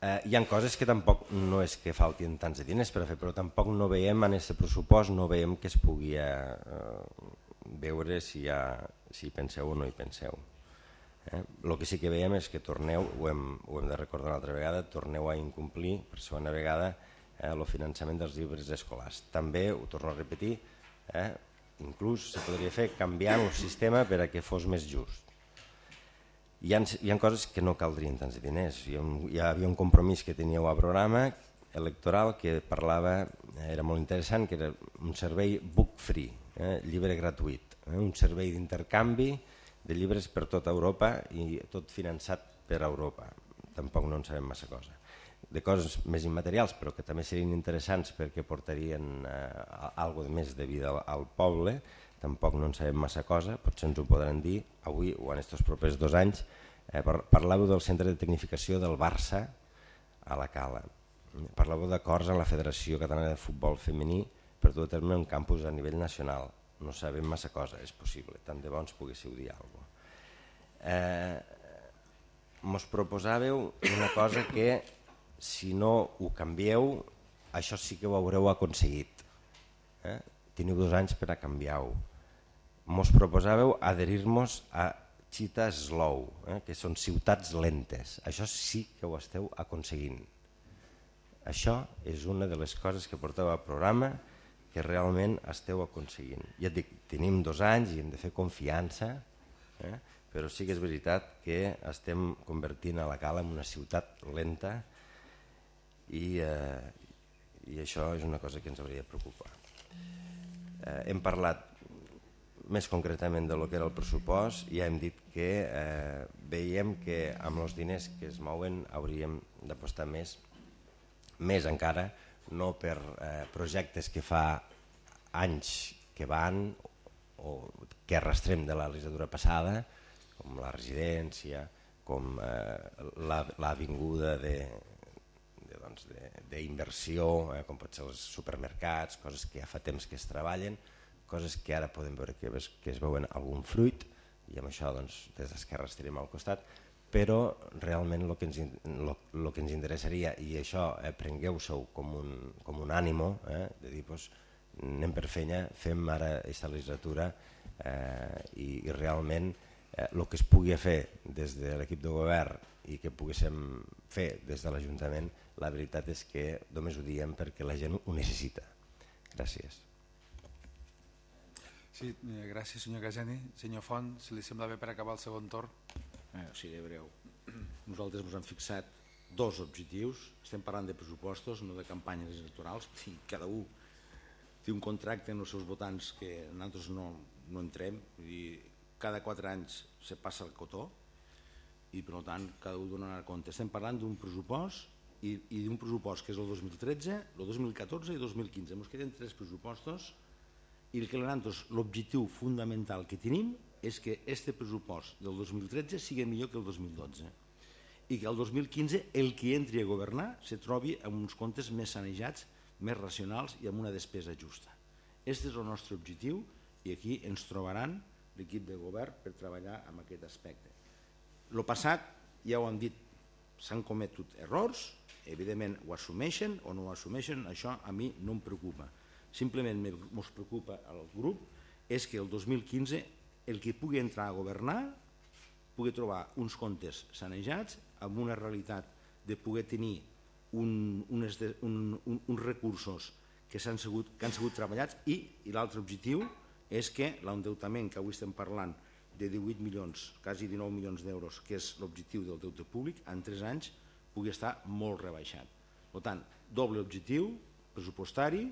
Hi ha coses que tampoc no és que faltin tants de diners per a fer, però tampoc no veiem en aquest pressupost, no veiem que es pugui veure si hi penseu o no hi penseu. El que sí que veiem és que torneu, ho hem de recordar una altra vegada, torneu a incomplir per segona vegada el finançament dels llibres escolars. També, ho torno a repetir, inclús se podria fer canviant el sistema per a que fos més just. Hi ha coses que no caldrien tants diners. Hi havia un compromís que teníeu a programa electoral que parlava, era molt interessant, que era un servei book free, llibre gratuït, un servei d'intercanvi de llibres per tota Europa i tot finançat per Europa. Tampoc no en sabem massa cosa. De coses més immaterials, però que també serien interessants perquè portarien alguna més de vida al poble, tampoc no en sabem massa cosa, potser ens ho podran dir avui o en aquests propers 2 anys. Parlàveu del centre de tecnificació del Barça a la Cala. Parlàveu d'acords amb la Federació Catalana de Futbol Femení per dur a terme un campus a nivell nacional. No sabem massa cosa, és possible, tant de bo ens poguéssiu dir alguna cosa. Mos proposàveu una cosa que, si no ho canvieu, això sí que ho haureu aconseguit. Teniu 2 anys per a canviar-ho. Mos proposàveu adherir-nos a Cheetah Slow, que són ciutats lentes. Això sí que ho esteu aconseguint. Això és una de les coses que porteu al programa que realment esteu aconseguint. Ja et dic, tenim 2 anys i hem de fer confiança, però sí que és veritat que estem convertint a la Cala en una ciutat lenta i això és una cosa que ens hauria de preocupar. Hem parlat més concretament del que era el pressupost i ja hem dit que veiem que amb els diners que es mouen hauríem d'apostar més encara, no per projectes que fa anys que van o que arrastrem de la legislatura passada, com la residència, com l'avinguda d'inversió, com pot ser els supermercats, coses que ja fa temps que es treballen, coses que ara podem veure que es veuen algun fruit, i amb això des d'Esquerra estarem al costat, però realment el que ens interessaria, i això prengueu-s'ho com un ànimo, de dir, anem per feina, fem ara aquesta legislatura i realment el que es pugui fer des de l'equip de govern i que poguéssim fer des de l'Ajuntament, la veritat és que només ho diem perquè la gent ho necessita. Gràcies. Sí, gràcies senyor Caseni. Senyor Font, si li sembla bé per acabar el segon torn. Seré breu. Nosaltres ens hem fixat 2 objectius. Estem parlant de pressupostos, no de campanyes electorals. Cada un té un contracte amb els seus votants que nosaltres no entrem. Cada 4 anys se passa el cotó i per tant cada un donarà compte. Estem parlant d'un pressupost i d'un pressupost que és el 2013, el 2014 i el 2015. Ens queden 3 pressupostos i l'objectiu fundamental que tenim és que aquest pressupost del 2013 sigui millor que el 2012 i que el 2015 el que entri a governar se trobi amb uns comptes més sanejats, més racionals i amb una despesa justa. Aquest és el nostre objectiu i aquí ens trobaran l'equip de govern per treballar en aquest aspecte. El passat, ja ho han dit, s'han cometut errors, evidentment ho assumeixen o no ho assumeixen, això a mi no em preocupa. Simplement ens preocupa al grup és que el 2015 el que pugui entrar a governar pugui trobar uns comptes sanejats amb una realitat de poder tenir uns recursos que han sigut treballats i l'altre objectiu és que l'endeutament que avui estem parlant de 18 milions, quasi 19 milions d'euros, que és l'objectiu del deute públic, en 3 anys pugui estar molt rebaixat. Per tant, doble objectiu pressupostari,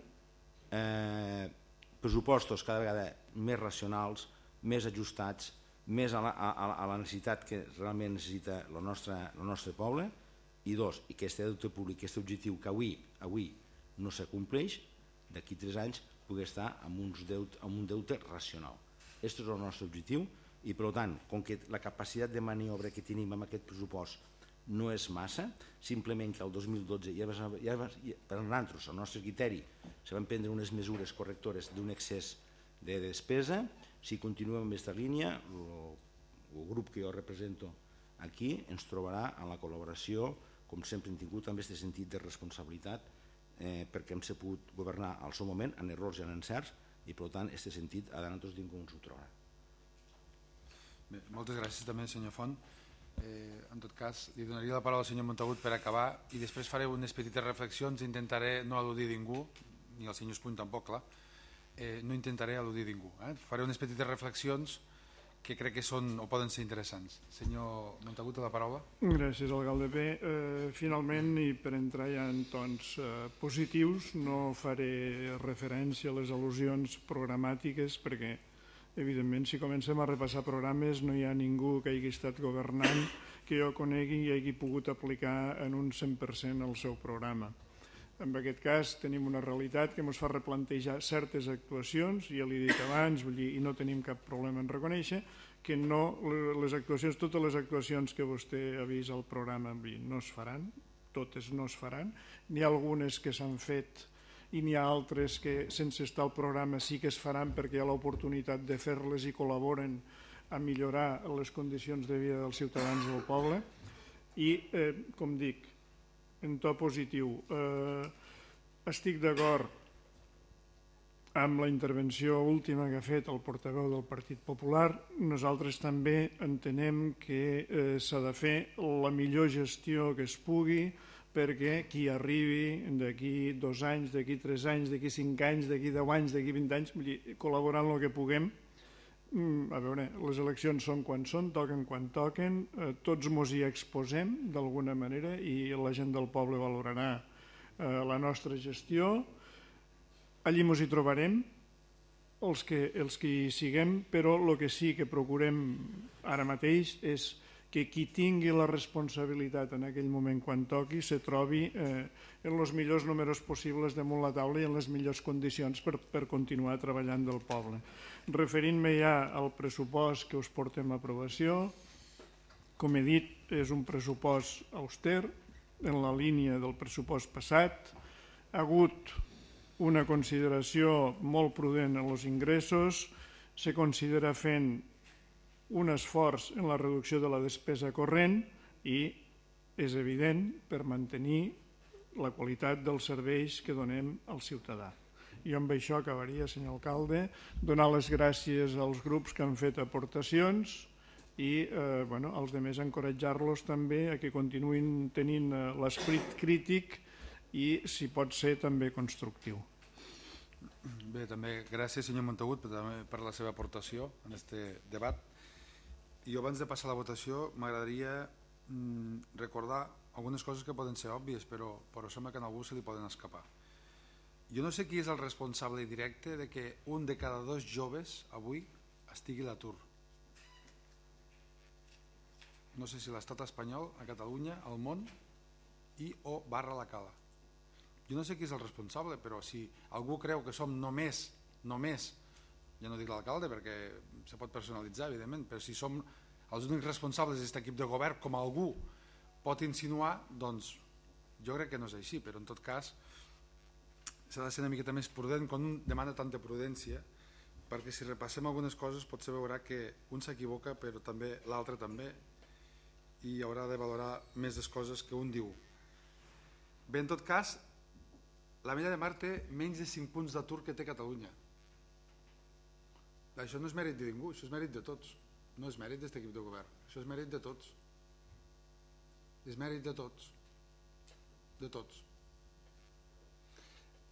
pressupostos cada vegada més racionals, més ajustats, més a la necessitat que realment necessita el nostre poble, i 2, i que aquest deute públic, aquest objectiu que avui no s'acompleix, d'aquí 3 anys pugui estar amb un deute racional. Aquest és el nostre objectiu i per tant, com que la capacitat de maniobra que tenim amb aquest pressupost no és massa, simplement que el 2012 per nosaltres, al nostre criteri, se van prendre unes mesures correctores d'un excés de despesa. Si continuem amb aquesta línia, el grup que jo represento aquí ens trobarà en la col·laboració, com sempre hem tingut, amb aquest sentit de responsabilitat, perquè hem sabut governar al seu moment en errors i en encerts i per tant aquest sentit a nosaltres ningú ens ho trobarà. Moltes gràcies també senyor Font. En tot cas li donaria la paraula al senyor Montagut per acabar i després faré unes petites reflexions. Intentaré no al·ludir ningú, ni el senyor Espuny tampoc, clar. No intentaré al·ludir ningú. Faré unes petites reflexions que crec que són o poden ser interessants. Senyor Montagut, la paraula. Gràcies, alcalde. Bé, finalment, i per entrar ja en tons positius, no faré referència a les al·lusions programàtiques perquè, evidentment, si comencem a repassar programes no hi ha ningú que hagi estat governant que jo conegui i hagi pogut aplicar en un 100% el seu programa. En aquest cas tenim una realitat que ens fa replantejar certes actuacions, ja l'he dit abans, i no tenim cap problema en reconèixer que totes les actuacions que vostè ha vist al programa no es faran, totes no es faran, n'hi ha algunes que s'han fet i n'hi ha altres que sense estar al programa sí que es faran perquè hi ha l'oportunitat de fer-les i col·laboren a millorar les condicions de vida dels ciutadans del poble i, com dic, en to positiu, estic d'acord amb la intervenció última que ha fet el portaveu del Partit Popular. Nosaltres també entenem que s'ha de fer la millor gestió que es pugui perquè qui arribi d'aquí 2 anys, d'aquí 3 anys, d'aquí 5 anys, d'aquí 10 anys, d'aquí 20 anys, col·laborant el que puguem. A veure, les eleccions són quan són, toquen quan toquen, tots ens hi exposem d'alguna manera i la gent del poble valorarà la nostra gestió. Allí ens hi trobarem, els que hi siguem, però el que sí que procurem ara mateix és que qui tingui la responsabilitat en aquell moment quan toqui se trobi en els millors números possibles damunt la taula i en les millors condicions per continuar treballant del poble. Referint-me ja al pressupost que us portem a aprovació, com he dit, és un pressupost auster en la línia del pressupost passat. Ha hagut una consideració molt prudent en els ingressos, se considera fent un esforç en la reducció de la despesa corrent i és evident per mantenir la qualitat dels serveis que donem al ciutadà. Jo amb això acabaria, senyor alcalde, donar les gràcies als grups que han fet aportacions i als altres encoratjar-los també a que continuïn tenint l'esperit crític i, si pot ser, també constructiu. Bé, també gràcies, senyor Montagut, per la seva aportació en aquest debat. I abans de passar a la votació m'agradaria recordar algunes coses que poden ser òbvies, però sembla que a algú se li poden escapar. Jo no sé qui és el responsable directe de que un de cada 2 joves avui estigui a l'atur. No sé si l'estat espanyol, a Catalunya, al món i o barra la cala. Jo no sé qui és el responsable, però si algú creu que som només, ja no dic l'alcalde perquè se pot personalitzar, evidentment, però si som els únics responsables d'aquest equip de govern, com algú pot insinuar, doncs jo crec que no és així, però en tot cas s'ha de ser una miqueta més prudent quan un demana tanta prudència, perquè si repassem algunes coses potser veurà que un s'equivoca però també l'altre també, i haurà de valorar més les coses que un diu. Bé, en tot cas, l'Ametlla de Mar té menys de 5 punts d'atur que té Catalunya. Això no és mèrit de ningú, això és mèrit de tots. No és mèrit d'aquest equip de govern, això és mèrit de tots. És mèrit de tots. De tots.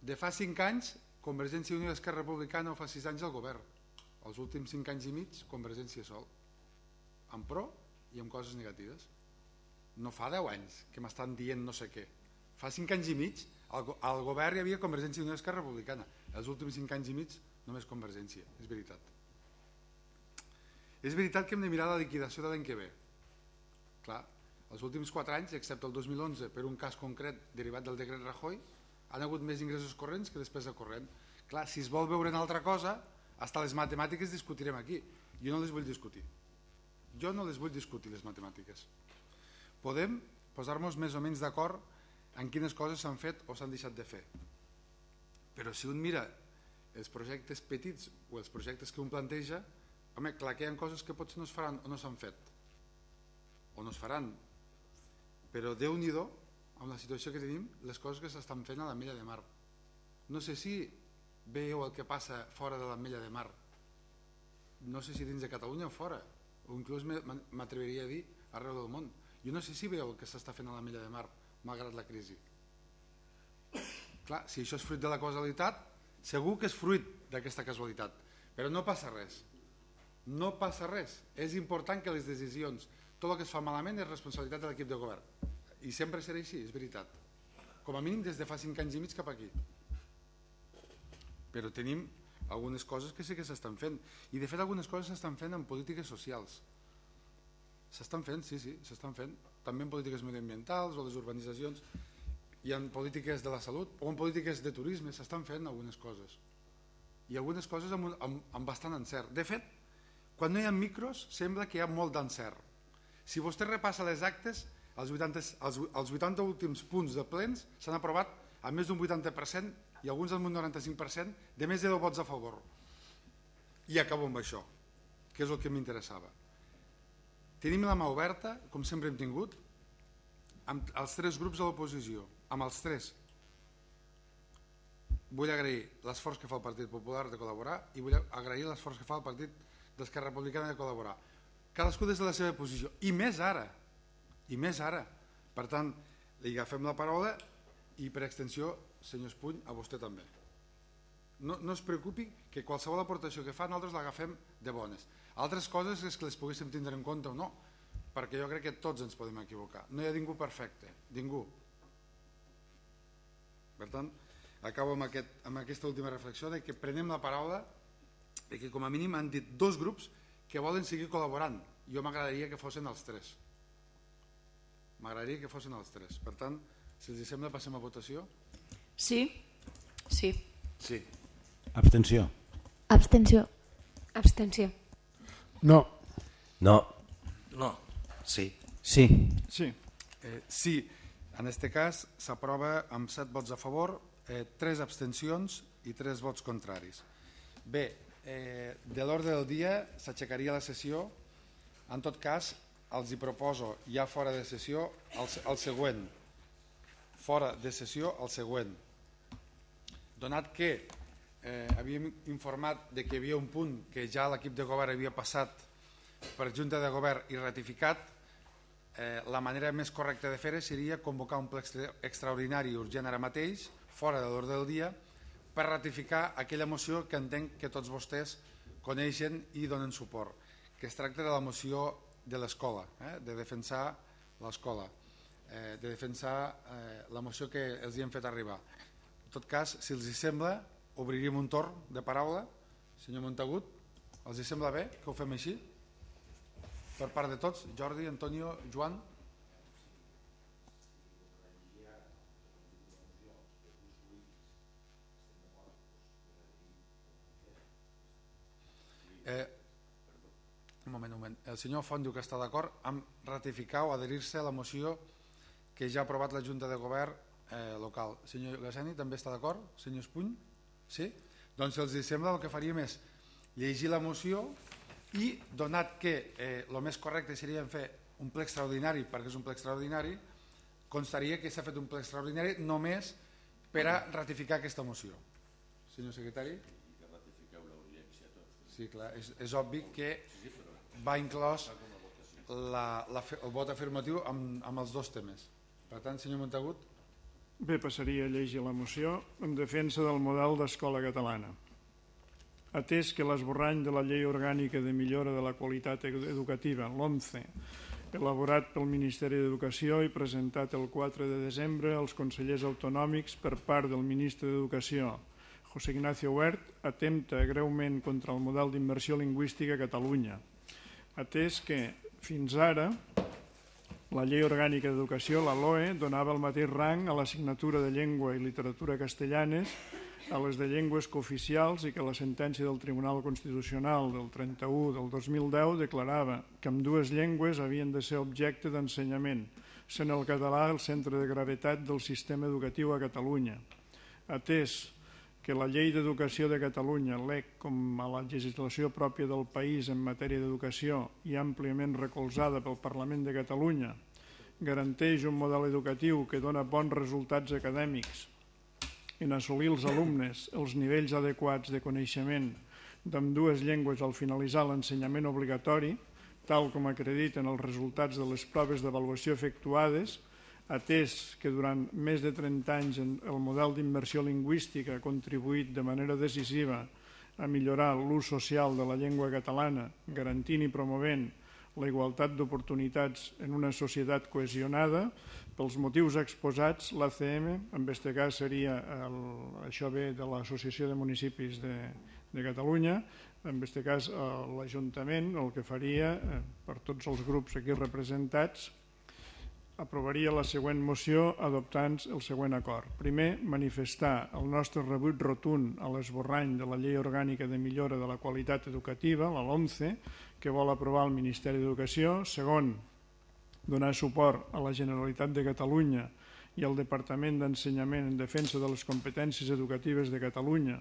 De fa 5 anys, Convergència i Unió i Esquerra Republicana, o fa 6 anys al govern. Els últims 5 anys i mig, Convergència sol. Amb pro i amb coses negatives. No fa 10 anys que m'estan dient no sé què. Fa 5 anys i mig al govern hi havia Convergència i Unió i Esquerra Republicana. Els últims 5 anys i mig només Convergència, és veritat. És veritat que hem de mirar la liquidació de l'any que ve. Clar, els últims 4 anys, excepte el 2011, per un cas concret derivat del decret Rajoy, han hagut més ingressos corrents que despesa corrent. Clar, si es vol veure una altra cosa, fins les matemàtiques discutirem aquí. Jo no les vull discutir. Jo no les vull discutir, les matemàtiques. Podem posar-nos més o menys d'acord en quines coses s'han fet o s'han deixat de fer. Però si un mira els projectes petits o els projectes que un planteja, home, clar que hi ha coses que potser no es faran o no s'han fet. O no es faran. Però Déu-n'hi-do, amb la situació que tenim, les coses que s'estan fent a l'Ametlla de Mar. No sé si veieu el que passa fora de l'Ametlla de Mar. No sé si dins de Catalunya o fora, o inclús m'atreviria a dir arreu del món. Jo no sé si veieu el que s'està fent a l'Ametlla de Mar, malgrat la crisi. Clar, si això és fruit de la causalitat, segur que és fruit d'aquesta casualitat, però no passa res. No passa res. És important que les decisions, tot el que es fa malament és responsabilitat de l'equip de govern. I sempre serà així, és veritat. Com a mínim des de fa 5 anys i mig cap aquí. Però tenim algunes coses que sí que s'estan fent. I de fet algunes coses s'estan fent en polítiques socials. S'estan fent, sí, s'estan fent. També en polítiques mediambientals o les urbanitzacions, i en polítiques de la salut o en polítiques de turisme s'estan fent algunes coses. I algunes coses amb bastant encert. De fet, quan no hi ha micros sembla que hi ha molt d'encert. Si vostè repassa les actes, els 80 últims punts de plens s'han aprovat amb més d'un 80% i alguns amb un 95% de més de 10 vots a favor. I acabo amb això, que és el que m'interessava. Tenim la mà oberta, com sempre hem tingut, amb els 3 grups de l'oposició, amb els 3. Vull agrair l'esforç que fa el Partit Popular de col·laborar i vull agrair l'esforç que fa el Partit d'Esquerra Republicana de col·laborar. Cadascú des de la seva posició, i més ara. Per tant, li agafem la paraula i per extensió, senyor Espuny, a vostè també. No es preocupi que qualsevol aportació que fa nosaltres l'agafem de bones. Altres coses és que les poguéssim tindre en compte o no, perquè jo crec que tots ens podem equivocar. No hi ha ningú perfecte, ningú. Per tant, acabo amb aquesta última reflexió de que prenem la paraula i que com a mínim han dit 2 grups que volen seguir col·laborant. Jo m'agradaria que fossin els 3. M'agradaria que fossin els 3. Per tant, si els sembla, passem a votació. Sí. Sí. Abstenció. Abstenció. Abstenció. No. No. Sí. Sí. Sí, en aquest cas s'aprova amb 7 vots a favor 3 abstencions i 3 vots contraris. Bé, de l'ordre del dia s'aixecaria la sessió. En tot cas, els hi proposo ja fora de sessió el següent. Fora de sessió el següent. Donat que havíem informat de que hi havia un punt que ja l'equip de govern havia passat per Junta de Govern i ratificat, la manera més correcta de fer-ho seria convocar un ple extraordinari urgent ara mateix, fora de l'ordre del dia, per ratificar aquella moció que entenc que tots vostès coneixen i donen suport, que es tracta de la moció de l'escola, de defensar l'escola, de defensar la moció que els hi hem fet arribar. En tot cas, si els hi sembla, obriríem un torn de paraula. Senyor Montagut, els hi sembla bé que ho fem així? Per part de tots, Jordi, Antonio, Joan. Un moment. El senyor Font diu que està d'acord amb ratificar o adherir-se a la moció que ja ha aprovat la Junta de Govern local. Senyor Gassani, també està d'acord? Senyor Espuny? Sí? Doncs si els sembla, el que faríem és llegir la moció i, donat que el més correcte seria fer un ple extraordinari, perquè és un ple extraordinari, constaria que s'ha fet un ple extraordinari només per a ratificar aquesta moció. Senyor secretari? Sí, clar, és obvi que va inclòs el vot afirmatiu amb els dos temes. Per tant, senyor Montagut. Bé, passaria a llegir la moció en defensa del model d'escola catalana. Atès que l'esborrany de la Llei Orgànica de Millora de la Qualitat Educativa, l'OMCE, elaborat pel Ministeri d'Educació i presentat el 4 de desembre als consellers autonòmics per part del ministre d'Educació, José Ignacio Wert, atempta greument contra el model d'immersió lingüística a Catalunya, atès que fins ara la Llei Orgànica d'Educació, la LOE, donava el mateix rang a l'assignatura de llengua i literatura castellanes a les de llengües cooficials i que la sentència del Tribunal Constitucional del 31 del 2010 declarava que ambdues llengües havien de ser objecte d'ensenyament, sent el català el centre de gravetat del sistema educatiu a Catalunya. Atès que la Llei d'Educació de Catalunya, l'EC, com a la legislació pròpia del país en matèria d'educació i àmpliament recolzada pel Parlament de Catalunya, garanteix un model educatiu que dona bons resultats acadèmics en assolir els alumnes els nivells adequats de coneixement d'ambdues llengües al finalitzar l'ensenyament obligatori, tal com acrediten els resultats de les proves d'avaluació efectuades, atès que durant més de 30 anys el model d'immersió lingüística ha contribuït de manera decisiva a millorar l'ús social de la llengua catalana, garantint i promovent la igualtat d'oportunitats en una societat cohesionada, pels motius exposats, l'ACM, en aquest cas seria, això ve de l'Associació de Municipis de Catalunya, en aquest cas l'Ajuntament el que faria, per tots els grups aquí representats, aprovaria la següent moció adoptant el següent acord. Primer, manifestar el nostre rebuig rotund a l'esborrany de la Llei Orgànica de Millora de la Qualitat Educativa, la LOMCE, que vol aprovar el Ministeri d'Educació. Segon, donar suport a la Generalitat de Catalunya i al Departament d'Ensenyament en defensa de les competències educatives de Catalunya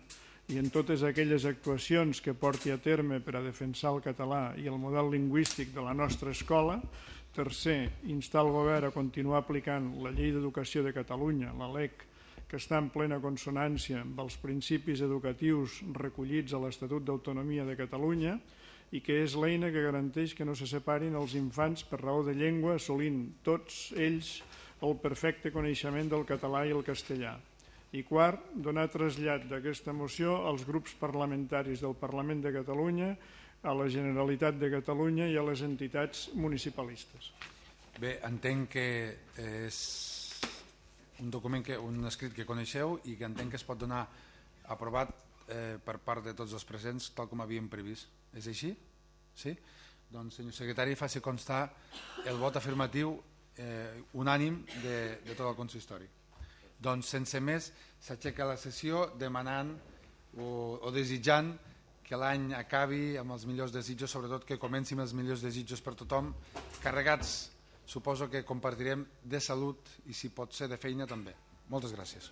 i en totes aquelles actuacions que porti a terme per a defensar el català i el model lingüístic de la nostra escola. Tercer, instar el govern a continuar aplicant la Llei d'Educació de Catalunya, la LEC, que està en plena consonància amb els principis educatius recollits a l'Estatut d'Autonomia de Catalunya i que és l'eina que garanteix que no se separin els infants per raó de llengua, assolint tots ells el perfecte coneixement del català i el castellà. I quart, donar trasllat d'aquesta moció als grups parlamentaris del Parlament de Catalunya, a la Generalitat de Catalunya i a les entitats municipalistes. Bé, entenc que és un document, un escrit que coneixeu i que entenc que es pot donar aprovat per part de tots els presents, tal com havíem previst. És així? Sí? Doncs, senyor secretari, faci constar el vot afirmatiu unànim de tot el consistori. Doncs, sense més, s'aixeca la sessió demanant o desitjant que l'any acabi amb els millors desitjos, sobretot que comenci amb els millors desitjos per tothom, carregats, suposo que compartirem de salut i si pot ser de feina també. Moltes gràcies.